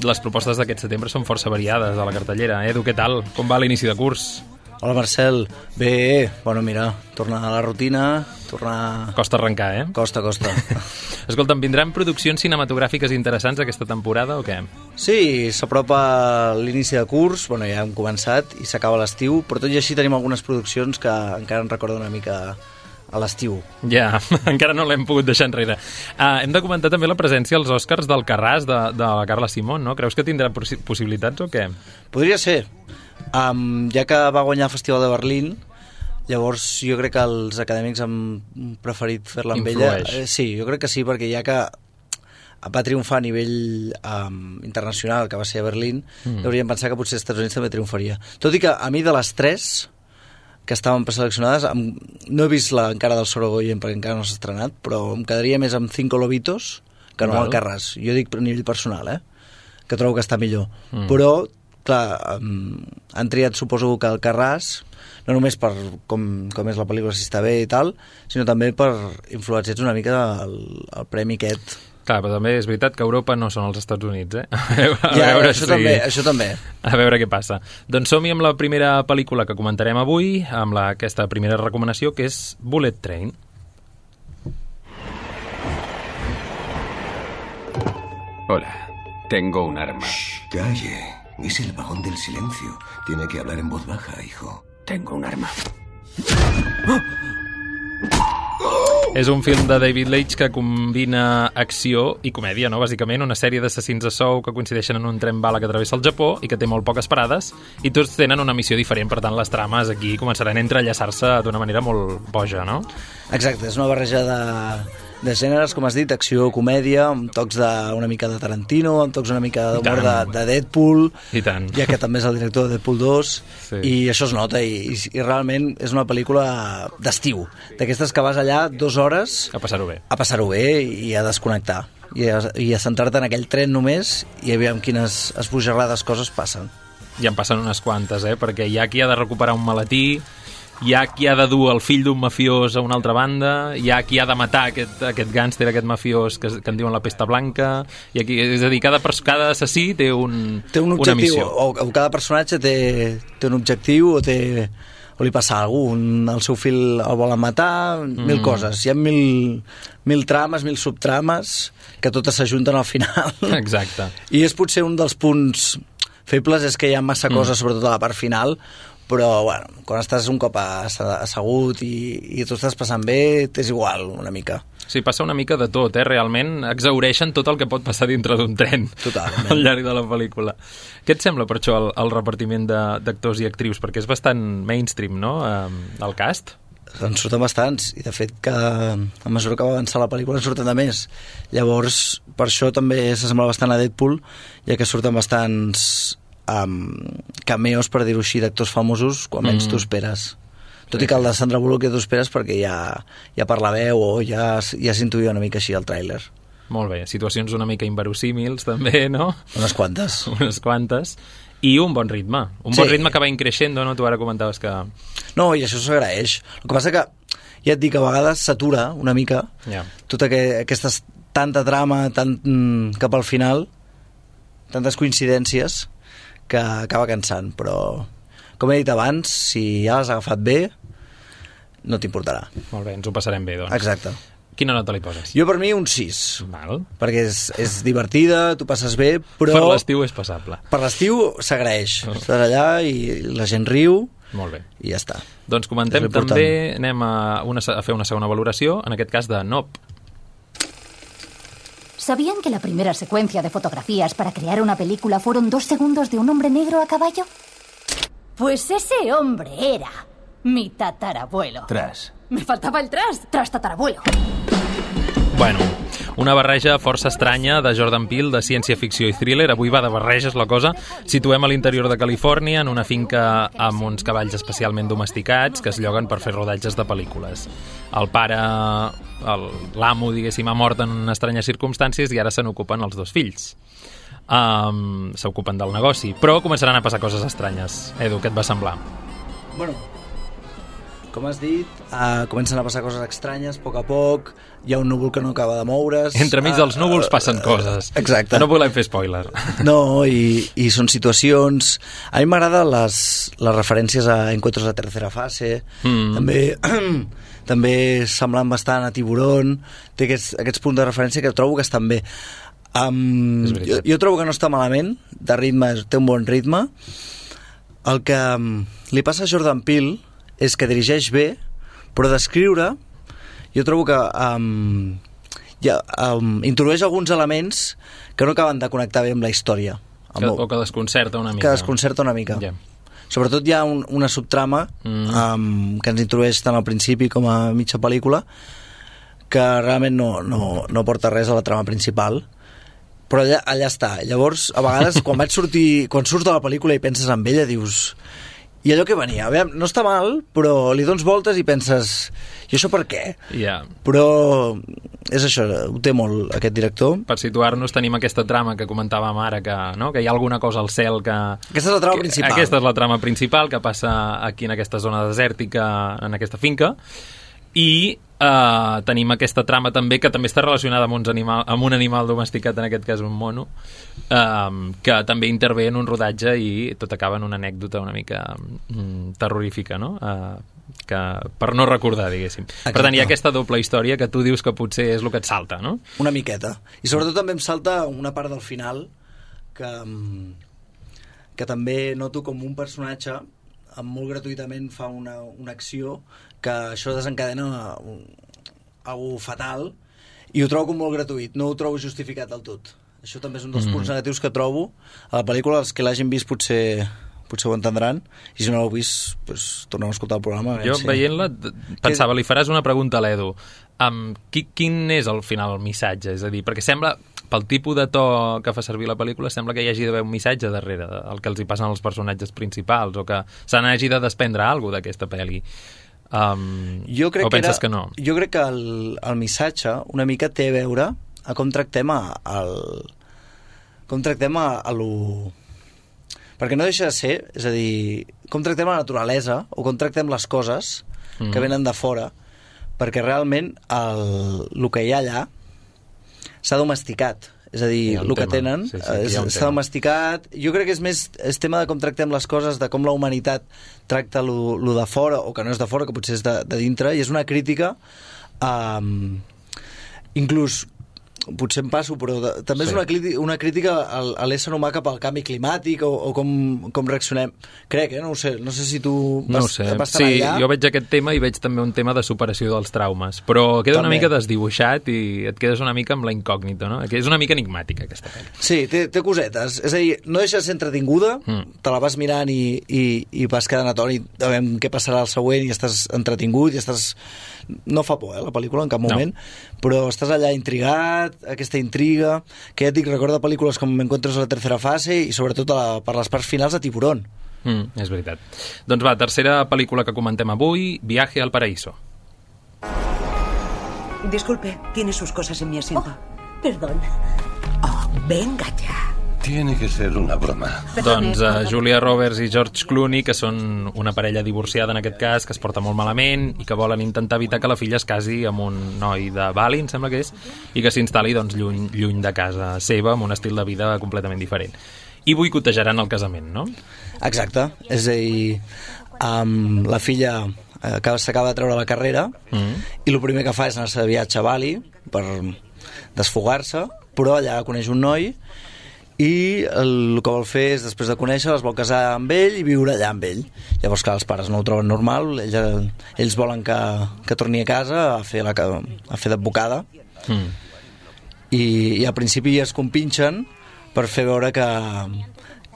les propostes d'aquest setembre són força variades a la cartellera. Edu, què tal? Com va l'inici de curs? Hola Marcel, bé, bueno mira, tornar a la rutina, Costa arrencar, eh? Costa. Escolta'm, vindran produccions cinematogràfiques interessants aquesta temporada o què? Sí, s'apropa l'inici de curs, bueno, ja hem començat i s'acaba l'estiu, però tot i així tenim algunes produccions que encara ens recorden una mica a l'estiu. Ja, encara no l'hem pogut deixar enrere. Hem de comentar també la presència als Oscars del Carràs de la Carla Simón, no? Creus que tindrà possibilitats o què? Podria ser. Ja que va guanyar el Festival de Berlín, llavors jo crec que els acadèmics han preferit fer-la amb ella. Sí, jo crec que sí, perquè ja que va triomfar a nivell internacional, que va ser a Berlín, hauríem pensar que potser als Estats Units també triomfaria. Tot i que a mi de les tres que estaven preseleccionades, no he vist encara del Sorogoyen perquè encara no s'ha estrenat, però em quedaria més amb Cinco Lobitos que no al Carràs. Jo dic a nivell personal, que trobo que està millor. Però clar, han triat, suposo que el Carràs, no només per com és la pel·lícula, si està bé i tal, sinó també per influenciats una mica el premi aquest. Clar, però també és veritat que Europa no són els Estats Units, eh? Això també. A veure què passa. Doncs som-hi amb la primera pel·lícula que comentarem avui, amb aquesta primera recomanació, que és Bullet Train. Hola, tengo un arma. Shh, calle. Es el vagón del silencio. Tiene que hablar en voz baja, hijo. Tengo un arma. És un film de David Leitch que combina acció i comèdia, no? Bàsicament, una sèrie d'assassins a sou que coincideixen en un tren bala que travessa el Japó i que té molt poques parades i tots tenen una missió diferent, per tant les trames aquí començaran a entrellaçar-se d'una manera molt boja, no? Exacte, és una barreja de gèneres, com has dit, acció, comèdia, amb tocs una mica de Tarantino, amb tocs una mica d'humor de Deadpool, i tant, ja que també és el director de Deadpool 2, sí. I això es nota, i realment és una pel·lícula d'estiu, d'aquestes que vas allà 2 hores... A passar-ho bé i a desconnectar, i a centrar-te en aquell tren només, i aviam quines esbojarrades coses passen. I en passen unes quantes, perquè hi ha qui ha de recuperar un maletí, hi ha qui ha de dur el fill d'un mafiós a una altra banda, hi ha qui ha de matar aquest gàngster, aquest mafiós que en diuen la pesta blanca, i aquí, és a dir, cada assassí té un objectiu, una missió. O cada personatge té un objectiu o li passa a algú, el seu fill el volen matar, mil coses, hi ha mil trames, mil subtrames que totes s'ajunten al final. Exacte. I és potser un dels punts febles, és que hi ha massa coses, sobretot a la part final, però bueno, quan estàs un cop assegut i tu estàs passant bé, t'és igual una mica. Sí, passa una mica de tot, realment exhaureixen tot el que pot passar dintre d'un tren. Totalment. Al llarg de la pel·lícula. Què et sembla per això el repartiment d'actors i actrius? Perquè és bastant mainstream, no?, el cast. En surten bastants, i de fet que a mesura que va avançar la pel·lícula en surten de més. Llavors, per això també s'assembla bastant a Deadpool, ja que surten bastants cameos, per dir-ho així, d'actors famosos quan menys t'ho esperes. Tot i que el de Sandra Bullock ja t'ho esperes perquè ja per la veu o ja s'intuïa una mica així el tràiler. Molt bé, situacions una mica inverosímils també, no? Unes quantes. I un bon ritme. Bon ritme que va increixendo, no? Tu ara comentaves que... No, i això s'agraeix. El que passa que, ja et dic, a vegades s'atura una mica tota aquesta tanta trama cap al final, tantes coincidències, que acaba cansant, però com he dit abans, si ja l'has agafat bé, no t'importarà. Molt bé, ens ho passarem bé, doncs. Exacte. Quina nota li poses? Jo per mi un 6. Val. Perquè és divertida, tu passes bé, però... Per l'estiu és passable. Per l'estiu s'agraeix. Estàs allà i la gent riu. Molt bé. I ja està. Doncs comentem també, anem a fer una segona valoració, en aquest cas de Nope. ¿Sabían que la primera secuencia de fotografías para crear una película fueron 2 segundos de un hombre negro a caballo? Pues ese hombre era mi tatarabuelo. Tras. Me faltaba el tras tatarabuelo. Bueno, una barreja força estranya de Jordan Peele, de ciència-ficció i thriller. Avui va de barreges la cosa. Situem a l'interior de Califòrnia, en una finca amb uns cavalls especialment domesticats que es lloguen per fer rodatges de pel·lícules. El pare, l'amo, diguéssim, ha mort en estranyes circumstàncies i ara se n'ocupen els 2 fills. S'ocupen del negoci, però començaran a passar coses estranyes. Edu, què et va semblar? Bueno, com has dit, comencen a passar coses estranyes a poc, hi ha un núvol que no acaba de moure's. Entremig dels núvols passen coses. Exacte. No volem fer spoiler. No, i són situacions... A mi m'agraden les referències a Encuentros de tercera fase, també semblant bastant a Tiburón, té aquests punts de referència que trobo que estan bé. Jo trobo que no està malament, de ritme, té un bon ritme. El que li passa a Jordan Peele és que dirigeix bé, però d'escriure jo trobo que introdueix alguns elements que no acaben de connectar bé amb la història. O que desconcerta una mica. Que desconcerta una mica. Yeah. Sobretot hi ha una subtrama que ens introdueix tant al principi com a mitja pel·lícula que realment no porta res a la trama principal, però allà està. Llavors, a vegades, quan surts de la pel·lícula i penses en ella, dius... I allò que venia, no està mal, però li dones voltes i penses, i això per què? Yeah. Però és això, ho té molt aquest director. Per situar-nos tenim aquesta trama que comentàvem ara, que hi ha alguna cosa al cel que... Aquesta és la trama principal. Aquesta és la trama principal que passa aquí en aquesta zona desèrtica, en aquesta finca, i tenim aquesta trama també, que també està relacionada amb un animal domesticat, en aquest cas un mono, que també intervé en un rodatge i tot acaba en una anècdota una mica terrorífica, no? Que per no recordar, diguéssim. Exacte. Per tant, hi ha aquesta doble història que tu dius que potser és el que et salta, no? Una miqueta. I sobretot també em salta una part del final que també noto com un personatge molt gratuïtament fa una acció que això desencadena algo fatal, i ho trobo com molt gratuït, no ho trobo justificat del tot. Això també és un dels punts negatius que trobo a la pel·lícula. Els que l'hagin vist potser ho entendran, i si no l'heu vist, doncs, torneu a escoltar el programa. Jo, veient-la, pensava, li faràs una pregunta a l'Edu. Quin és al final el missatge? És a dir, perquè sembla, pel tipus de to que fa servir la pel·lícula, sembla que hi hagi d'haver un missatge darrere, el que els hi passen als personatges principals, o que se n'hagi de desprendre alguna cosa d'aquesta pel·li. O penses que no? Jo crec que el missatge una mica té a veure a com tractem perquè no deixa de ser, és a dir, com tractem la naturalesa o com tractem les coses que venen de fora, perquè realment el que hi ha allà s'ha domesticat, és a dir, el que tenen s'ha domesticat. Jo crec que és tema de com tractem les coses, de com la humanitat tracta lo de fora, o que no és de fora, que potser és de dintre, i és una crítica inclús, potser em passo, però també és una crítica a l'ésser humà cap al canvi climàtic, o com reaccionem. Crec, no ho sé, no sé si tu vas estar allà. Jo veig aquest tema i veig també un tema de superació dels traumes, però queda una mica desdibuixat i et quedes una mica amb la incògnita, no? És una mica enigmàtica, aquesta pel·li. Sí, té cosetes. És a dir, no deixa de ser entretinguda, te la vas mirant i vas quedant atònit a veure què passarà al següent, i estàs entretingut, i estàs... No fa por, la pel·lícula, en cap moment, però estàs allà intrigat, aquesta intriga, que ja et dic, recorda pel·lícules com Encuentros a la tercera fase, i sobretot per les parts finals de Tiburón. És veritat. Doncs va, tercera pel·lícula que comentem avui, Viaje al paraíso. Disculpe, tiene sus cosas en mi asiento. Perdón. Venga ya. Tiene que ser una broma. Doncs Julia Roberts i George Clooney, que són una parella divorciada en aquest cas, que es porta molt malament i que volen intentar evitar que la filla es casi amb un noi de Bali, em sembla que és, i que s'instal·li doncs, lluny de casa seva, amb un estil de vida completament diferent. I boicotejaran el casament, no? Exacte. És a dir, la filla s'acaba de treure la carrera i el primer que fa és anar-se de viatge a Bali per desfogar-se, però allà coneix un noi i el que vol fer és, després de conèixer, es vol casar amb ell i viure allà amb ell. Llavors, clar, els pares no ho troben normal, ells volen que torni a casa a fer d'advocada, i al principi es compinxen per fer veure que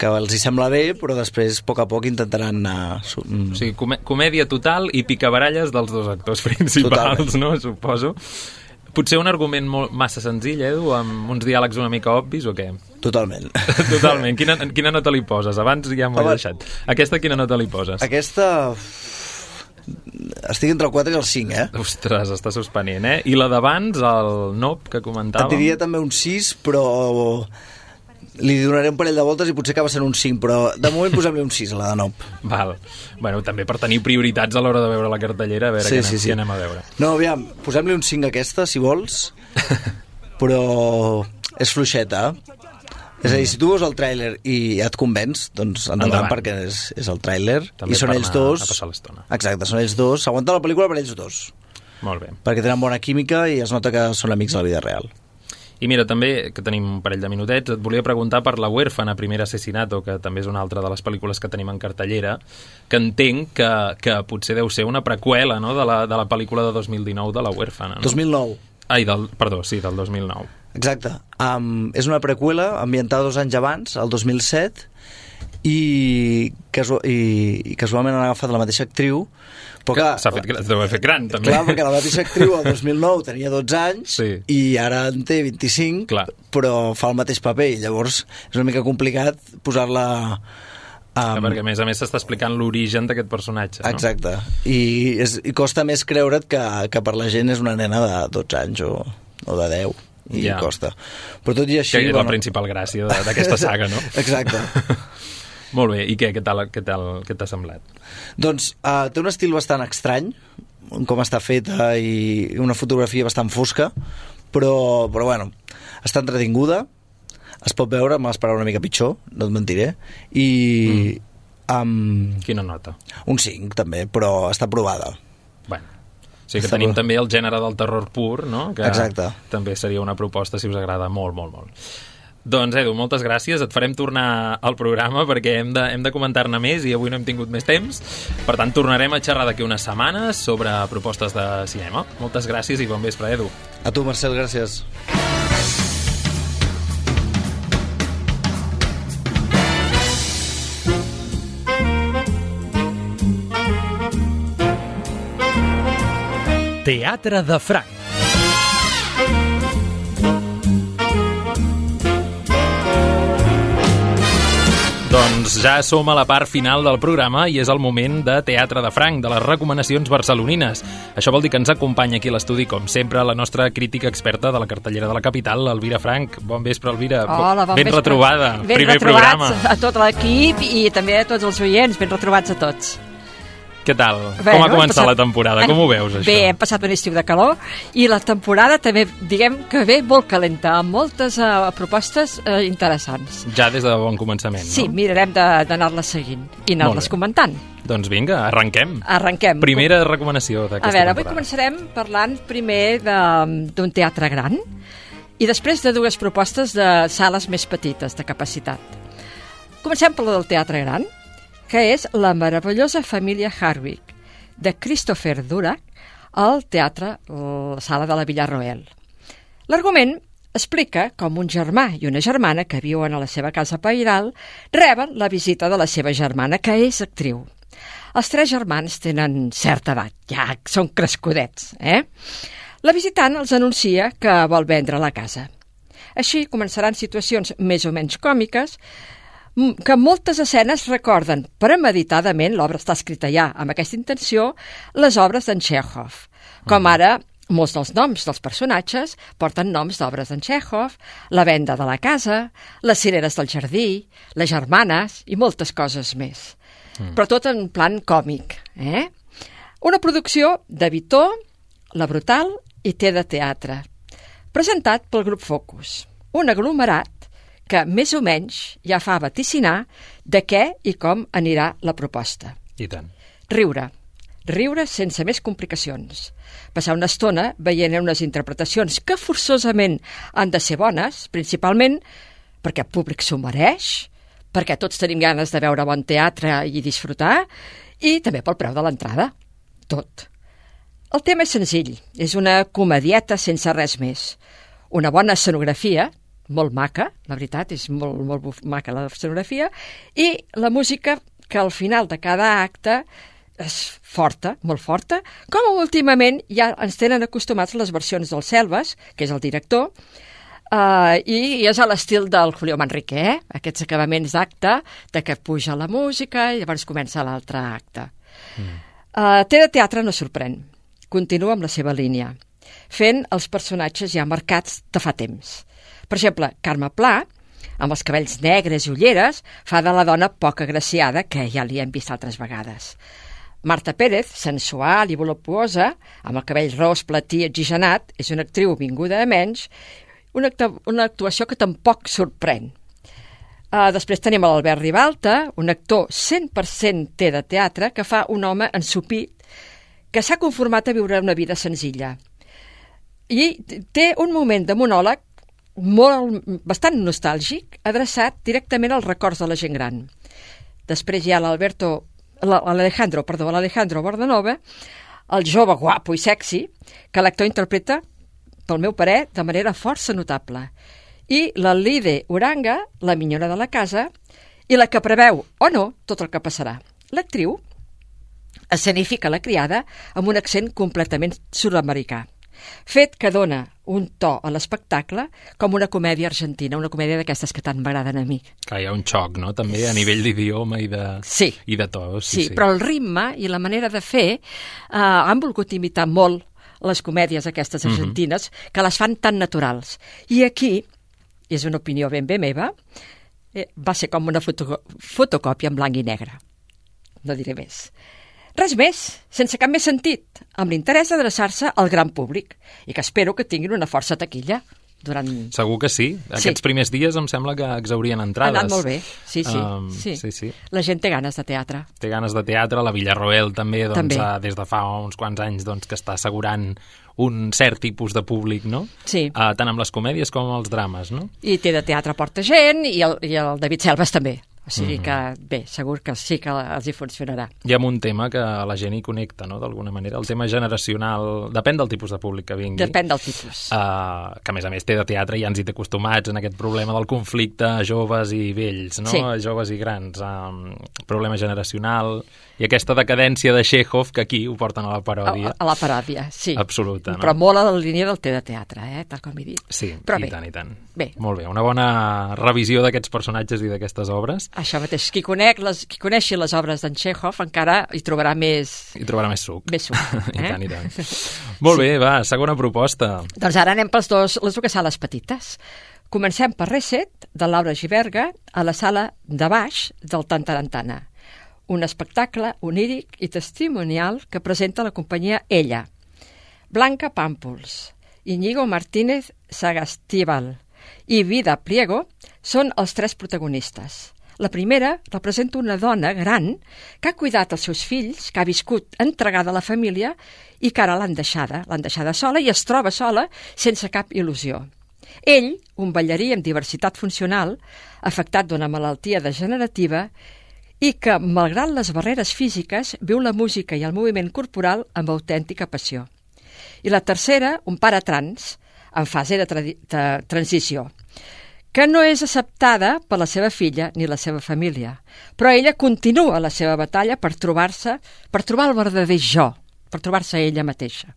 els hi sembla bé, però després, a poc intentaran anar... O sigui, comèdia total i picabaralles dels dos actors principals, totalment. No? Suposo. Potser un argument massa senzill, amb uns diàlegs una mica obvis, o què? Totalment. Totalment. Quina nota li poses? Abans ja m'ho he deixat. Aquesta, quina nota li poses? Aquesta... Estic entre el 4 i el 5, Ostres, està suspenent, I la d'abans, el Nope, que comentàvem? Et diria també un 6, però... li donaré un parell de voltes i potser acaba sent un 5, però de moment posem-li un 6 a la de Nope. Val. Bueno, també per tenir prioritats a l'hora de veure la cartellera, a veure què anem a veure. No, aviam, posem-li un 5 a aquesta, si vols, però és fluixeta. És a dir, si tu veus el tràiler i et convenç, doncs endavant, perquè és el tràiler. També i són ells dos. A passar l'estona. Exacte, són ells dos. S'aguanta la pel·lícula per ells dos. Molt bé. Perquè tenen bona química i es nota que són amics a la vida real. I mira, també, que tenim un parell de minutets, et volia preguntar per La huérfana, primer asesinato, que també és una altra de les pel·lícules que tenim en cartellera, que entenc que potser deu ser una preqüela, no?, de la pel·lícula de 2019 de La huérfana. No? 2009. Del 2009. Exacte. És una preqüela ambientada 2 anys abans, el 2007, i casualment han agafat la mateixa actriu, però deu haver fet gran, també. Clar, perquè la mateixa actriu el 2009 tenia 12 anys i ara en té 25, però fa el mateix paper, i llavors és una mica complicat posar-la... perquè a més s'està explicant l'origen d'aquest personatge, no? Exacte. I costa més creure't que per la gent és una nena de 12 anys o de 10. I costa. Però tot i així... Que és la principal gràcia d'aquesta saga, no? Exacte. Molt bé, i què t'ha semblat? Doncs té un estil bastant estrany, com està feta i una fotografia bastant fosca, però bueno, està entretinguda, es pot veure, m'esperava una mica pitjor, no et mentiré, i... Quina nota? Un 5 també, però està provada. Bueno, sí que tenim també el gènere del terror pur, no? Que exacte. També seria una proposta si us agrada molt, molt, molt. Doncs, Edu, moltes gràcies. Et farem tornar al programa perquè hem de comentar-ne més i avui no hem tingut més temps. Per tant, tornarem a xerrar d'aquí unes setmanes sobre propostes de cinema. Moltes gràcies i bon vespre, Edu. A tu, Marcel, gràcies. Teatre de Franc. Doncs ja som a la part final del programa i és el moment de Teatre de Franc, de les recomanacions barcelonines. Això vol dir que ens acompanya aquí a l'estudi, com sempre, la nostra crítica experta de la cartellera de la capital, Elvira Franc. Bon vespre, Elvira. Hola, bon ben vespre. Retrobada. Ben Primer retrobats programa. a tot l'equip i també a tots els oients. Ben retrobats a tots. Què tal? Com ha començat la temporada? Com ho veus, això? Bé, hem passat un estiu de calor i la temporada també, diguem que ve molt calenta, amb moltes propostes interessants. Ja des de bon començament, no? Sí, mirarem d'anar-les seguint i anar-les comentant. Doncs vinga, arrenquem. Arrenquem. Primera recomanació d'aquesta temporada. A veure, avui començarem parlant primer d'un teatre gran i després de dues propostes de sales més petites, de capacitat. Comencem per la del teatre gran, que és La meravellosa família Harwick, de Christopher Durack, al teatre la Sala de la Villarroel. L'argument explica com un germà i una germana que viuen a la seva casa pairal reben la visita de la seva germana, que és actriu. Els tres germans tenen certa edat, ja són crescudets, La visitant els anuncia que vol vendre la casa. Així començaran situacions més o menys còmiques, que moltes escenes recorden premeditadament, l'obra està escrita ja amb aquesta intenció, les obres d'en Chekhov. Com ara, molts dels noms dels personatges porten noms d'obres d'en Chekhov, la venda de la casa, les cireres del jardí, les germanes i moltes coses més. Però tot en plan còmic. Una producció de Vitó, La Brutal i Té de Teatre, presentat pel grup Focus, un aglomerat que més o menys ja fa vaticinar de què i com anirà la proposta. I tant. Riure sense més complicacions. Passar una estona veient unes interpretacions que forçosament han de ser bones, principalment perquè el públic s'ho mereix, perquè tots tenim ganes de veure bon teatre i disfrutar, i també pel preu de l'entrada. Tot. El tema és senzill, és una comedieta sense res més. Una bona escenografia, molt maca, la veritat, és molt maca la escenografia, i la música, que al final de cada acte és forta, molt forta, com últimament ja ens tenen acostumats les versions del Selves, que és el director, i és a l'estil del Julio Manrique, aquests acabaments d'acte, de que puja la música i llavors comença l'altre acte. Té de Teatre no sorprèn, continua amb la seva línia, fent els personatges ja marcats de fa temps. Per exemple, Carme Pla, amb els cabells negres i ulleres, fa de la dona poc agraciada, que ja li hem vist altres vegades. Marta Pérez, sensual i voluptuosa, amb el cabell ros, platí, oxigenat, és una actriu vinguda a menys, una actuació que tampoc sorprèn. Després tenim l'Albert Ribalta, un actor 100% té de teatre, que fa un home ensupit que s'ha conformat a viure una vida senzilla. I té un moment de monòleg bastant nostàlgic, adreçat directament als records de la gent gran. Després hi ha l'Alejandro Bordanova, el jove guapo i sexy, que l'actor interpreta, pel meu parer, de manera força notable. I la Lide Uranga, la minyona de la casa, i la que preveu, o no, tot el que passarà. L'actriu escenifica la criada amb un accent completament sud-americà, fet que dona un to a l'espectacle com una comèdia argentina, una comèdia d'aquestes que tant m'agraden a mi. Que hi ha un xoc, no?, també a nivell d'idioma i de to. Sí, però el ritme i la manera de fer han volgut imitar molt les comèdies aquestes argentines, que les fan tan naturals. I aquí, és una opinió ben bé meva, va ser com una fotocòpia en blanc i negre. No diré més. Res més, sense cap més sentit, amb l'interès d'adreçar-se al gran públic i que espero que tinguin una força taquilla. Segur que sí. Aquests primers dies em sembla que exhaurien entrades. Ha anat molt bé, sí. La gent té ganes de teatre. Té ganes de teatre, la Villarroel també, des de fa uns quants anys que està assegurant un cert tipus de públic, no? Sí. Tant amb les comèdies com amb els drames, no? I té de teatre porta gent i el David Selves també. O sigui que, bé, segur que sí que els hi funcionarà. Hi ha un tema que la gent hi connecta, no?, d'alguna manera. El tema generacional, depèn del tipus de públic que vingui. Depèn del tipus. Que, a més té de teatre i ja ens hi té acostumats en aquest problema del conflicte joves i vells, no? Sí. Joves i grans. Problema generacional i aquesta decadència de Chekhov que aquí ho porten a la paròdia. A la paròdia, sí. Absoluta, no? Però molt a la línia del de teatre, tal com he dit. Sí, però i tant. Bé. Molt bé, una bona revisió d'aquests personatges i d'aquestes obres. Això mateix, qui coneixi les obres d'en Chekhov encara hi trobarà més... Hi trobarà més suc. Més suc, I tant. Molt bé, va, segona proposta. Doncs ara anem per les dues sales petites. Comencem per Reset, de Laura Giberga, a la sala de baix del Tantarantana. Un espectacle oníric i testimonial que presenta la companyia Ella. Blanca Pàmpols, Íñigo Martínez Sagastíbal i Vida Pliego són els tres protagonistes. La primera representa una dona gran que ha cuidat els seus fills, que ha viscut entregada a la família i que ara l'han deixada sola i es troba sola sense cap il·lusió. Ell, un ballarí amb diversitat funcional, afectat d'una malaltia degenerativa i que, malgrat les barreres físiques, viu la música i el moviment corporal amb autèntica passió. I la tercera, un pare trans, en fase de transició, que no és acceptada per la seva filla ni la seva família, però ella continua la seva batalla per trobar el verdader jo, per trobar-se ella mateixa.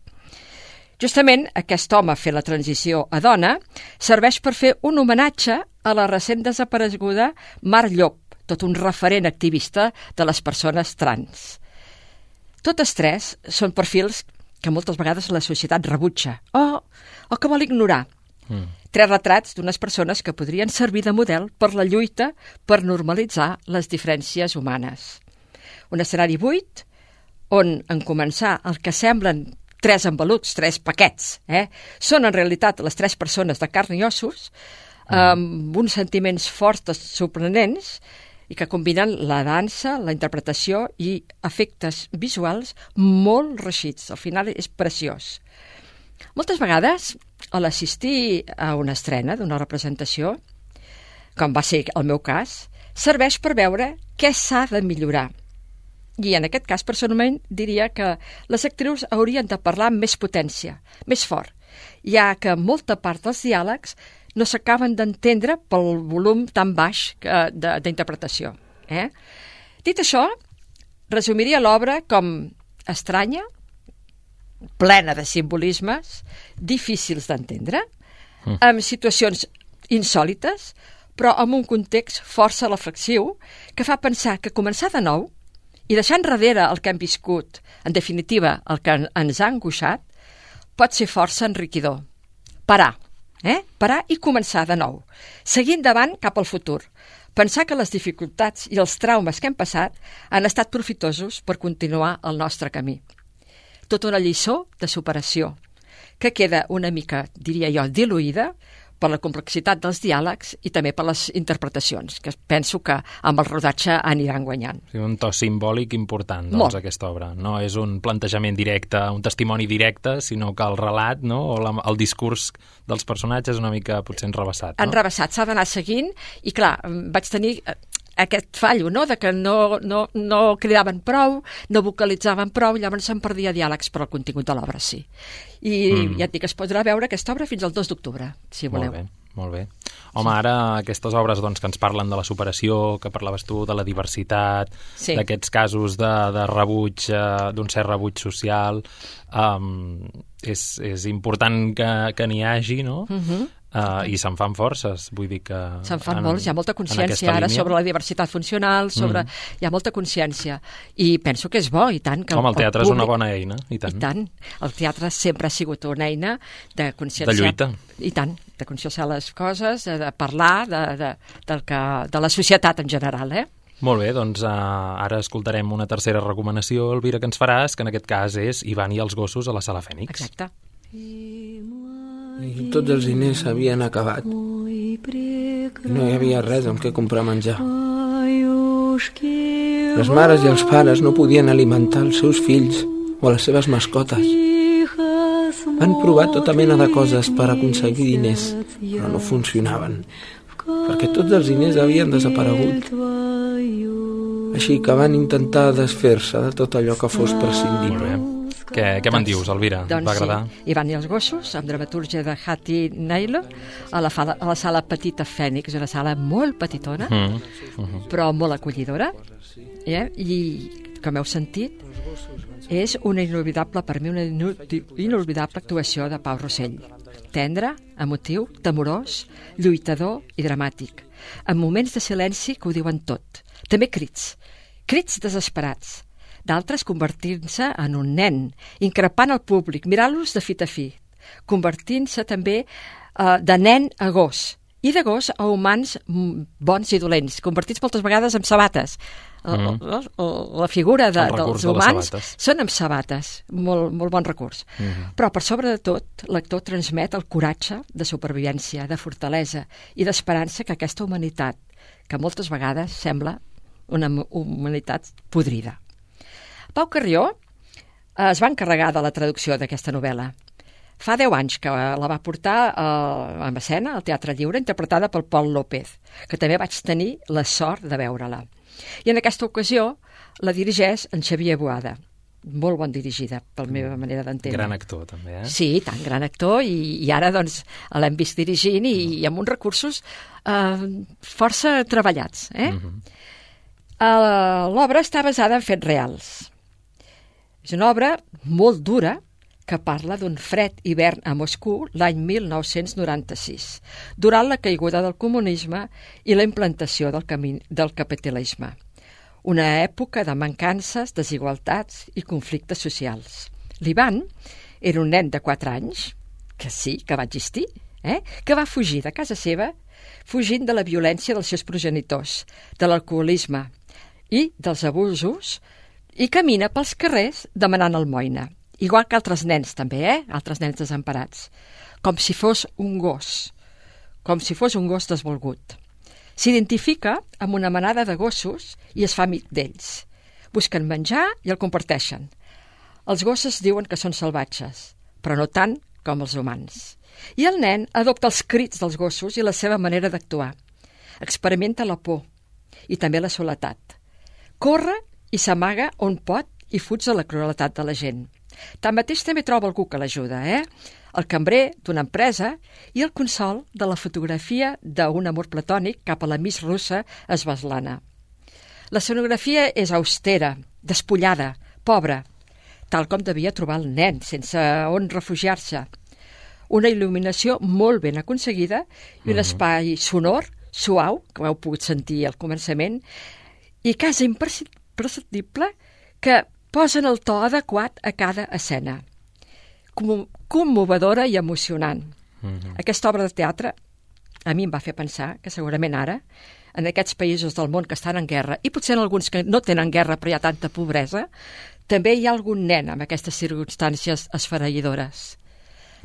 Justament aquest home fent la transició a dona serveix per fer un homenatge a la recent desapareguda Mar Llop, tot un referent activista de les persones trans. Totes tres són perfils que moltes vegades la societat rebutja o que vol ignorar. Tres retrats d'unes persones que podrien servir de model per la lluita per normalitzar les diferències humanes. Un escenari buit on, en començar, el que semblen tres enveluts, tres paquets, són en realitat les tres persones de carn i ossos, amb uns sentiments forts, sorprenents, i que combinen la dansa, la interpretació i efectes visuals molt reeixits. Al final és preciós. Moltes vegades, a l'assistir a una estrena d'una representació, com va ser el meu cas, serveix per veure què s'ha de millorar. I en aquest cas, personalment, diria que les actrius haurien de parlar amb més potència, més fort, ja que molta part dels diàlegs no s'acaben d'entendre pel volum tan baix d'interpretació. Dit això, resumiria l'obra com estranya, plena de simbolismes, difícils d'entendre, amb situacions insòlites, però amb un context força reflexiu que fa pensar que començar de nou i deixar enrere el que hem viscut, en definitiva el que ens ha angoixat, pot ser força enriquidor. Parar i començar de nou, seguir endavant cap al futur, pensar que les dificultats i els traumes que hem passat han estat profitosos per continuar el nostre camí. Tota una lliçó de superació, que queda una mica, diria jo, diluïda per la complexitat dels diàlegs i també per les interpretacions, que penso que amb el rodatge aniran guanyant. Sí, un to simbòlic important, doncs, aquesta obra. No és un plantejament directe, un testimoni directe, sinó que el relat, no?, o el discurs dels personatges és una mica potser enrevessat. No? Enrevessat, s'ha d'anar seguint, i clar, vaig tenir aquest fallo, no?, de que no cridaven prou, no vocalitzaven prou, llavors se'n perdia diàlegs per al contingut de l'obra, sí. I ja et dic, es podrà veure aquesta obra fins al 2 d'octubre, si voleu. Molt bé. Home, ara aquestes obres doncs, que ens parlen de la superació, que parlaves tu, de la diversitat, d'aquests casos de rebuig, d'un cert rebuig social, és important que n'hi hagi, no? I se'n fan forces, vull dir que... Se'n fan molts, hi ha molta consciència ara sobre la diversitat funcional, hi ha molta consciència, i penso que és bo, i tant. Home, el teatre és una bona eina, i tant. I tant, el teatre sempre ha sigut una eina de conscienciar... De lluita. I tant, de conscienciar les coses, de parlar de la societat en general, Molt bé, doncs ara escoltarem una tercera recomanació, Elvira, que ens faràs, que en aquest cas és Ivan i els gossos a la Sala Fènix. Exacte. I tots els diners s'havien acabat. I no hi havia res amb què comprar menjar. Les mares i els pares no podien alimentar els seus fills o les seves mascotes. Van provar tota mena de coses per aconseguir diners, però no funcionaven, perquè tots els diners havien desaparegut. Així que van intentar desfer-se de tot allò que fos prescindible. Què me'n dius, Elvira? Doncs va agradar? Sí, Ivan i els gossos, amb dramatúrgia de Hattie Naylor, a la sala Petita Fènix, una sala molt petitona, però molt acollidora, i, com heu sentit, és una inolvidable, per mi, una inolvidable actuació de Pau Rossell. Tendre, emotiu, temorós, lluitador i dramàtic, amb moments de silenci que ho diuen tot. També crits desesperats, d'altres convertint-se en un nen, increpant el públic, mirant-los de fit a fi, convertint-se també de nen a gos, i de gos a humans bons i dolents, convertits moltes vegades en sabates. La figura dels humans són amb sabates, molt bon recurs. Però per sobre de tot, l'actor transmet el coratge de supervivència, de fortalesa i d'esperança que aquesta humanitat, que moltes vegades sembla una humanitat podrida. Pau Carrió es va encarregar de la traducció d'aquesta novel·la. Fa 10 anys que la va portar a escena, al Teatre Lliure, interpretada pel Pol López, que també vaig tenir la sort de veure-la. I en aquesta ocasió la dirigeix en Xavier Boada, molt bon dirigida, per la meva manera d'entendre. Gran actor, també, Sí, tant, gran actor, i ara doncs l'hem vist dirigint i amb uns recursos força treballats. L'obra està basada en fets reals. És una obra molt dura que parla d'un fred hivern a Moscou l'any 1996, durant la caiguda del comunisme i la implantació del capitalisme. Una època de mancances, desigualtats i conflictes socials. L'Ivan era un nen de 4 anys, que sí, que va existir, que va fugir de casa seva, fugint de la violència dels seus progenitors, de l'alcoholisme i dels abusos, i camina pels carrers demanant almoina. Igual que altres nens també, altres nens desemparats. Com si fos un gos. Com si fos un gos desvolgut. S'identifica amb una manada de gossos i es fa amic d'ells. Busquen menjar i el comparteixen. Els gossos diuen que són salvatges, però no tant com els humans. I el nen adopta els crits dels gossos i la seva manera d'actuar. Experimenta la por i també la soledat. Corre i s'amaga on pot i fuig de la crueltat de la gent. Tanmateix també troba algú que l'ajuda, el cambrer d'una empresa i el consol de la fotografia d'un amor platònic cap a la Miss russa Svetlana. La escenografia és austera, despullada, pobra, tal com devia trobar el nen, sense on refugiar-se. Una il·luminació molt ben aconseguida i un espai sonor, suau, que ho heu pogut sentir al començament, i quasi imperceptible que posen el to adequat a cada escena. Commovedora i emocionant. Aquesta obra de teatre a mi em va fer pensar que segurament ara, en aquests països del món que estan en guerra, i potser en alguns que no tenen guerra però hi ha tanta pobresa, també hi ha algun nen amb aquestes circumstàncies esfereïdores.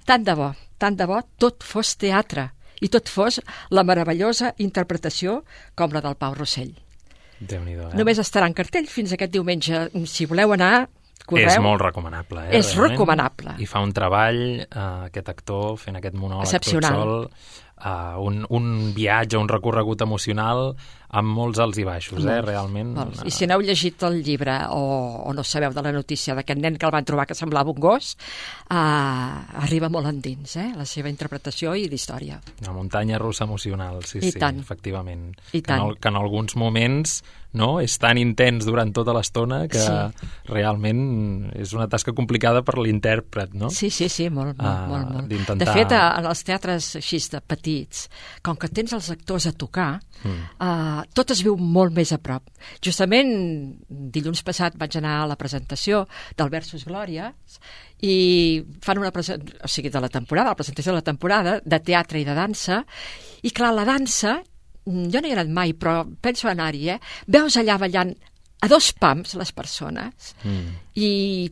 Tant de bo tot fos teatre i tot fos la meravellosa interpretació com la del Pau Rossell. Déu-n'hi-do, Només estarà en cartell fins aquest diumenge. Si voleu anar, correu. És molt recomanable, És realment. recomanable. I fa un treball, aquest actor, fent aquest monòleg excepcional. tot sol, un viatge, un recorregut emocional amb molts alts i baixos, realment. I si n'heu llegit el llibre o no sabeu de la notícia d'aquest nen que el van trobar que semblava un gos, arriba molt endins, la seva interpretació i l'història. Una muntanya russa emocional, sí, tant. Efectivament. I tant. Que en alguns moments és tan intens durant tota l'estona que realment és una tasca complicada per l'intèrpret, no? Sí, molt. D'intentar... De fet, en els teatres així de petits, com que tens els actors a tocar, tot es viu molt més a prop. Justament, dilluns passat vaig anar a la presentació del Versus Glòria i fan una presentació, de la temporada, la presentació de la temporada, de teatre i de dansa, i clar, la dansa jo no hi he anat mai, però penso anar-hi, veus allà ballant a 2 pams les persones i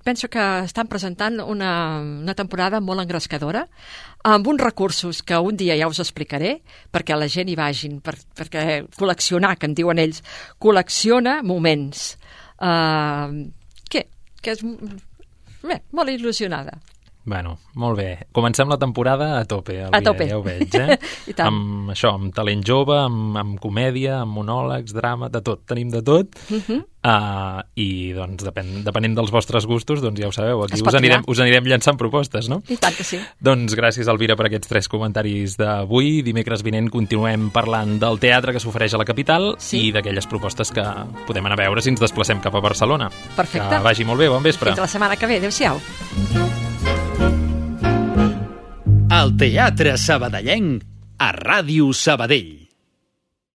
penso que estan presentant una temporada molt engrescadora amb uns recursos que un dia ja us explicaré perquè la gent hi vagin, perquè col·leccionar, que en diuen ells, col·lecciona moments. Que és molt il·lusionada. Bueno, molt bé. Comencem la temporada a tope, a tope. Ja ho veig, amb això, amb talent jove, amb comèdia, amb monòlegs, drama, de tot. Tenim de tot. I, doncs, depenent dels vostres gustos, doncs ja ho sabeu, aquí us anirem llançant propostes, no? I tant que sí. Doncs gràcies, Elvira, per aquests 3 comentaris d'avui. Dimecres vinent continuem parlant del teatre que s'ofereix a la capital i d'aquelles propostes que podem anar a veure si ens desplacem cap a Barcelona. Perfecte. Que vagi molt bé, bon vespre. Fins la setmana que ve, adéu-siau. El Teatre Sabadellenc a Ràdio Sabadell.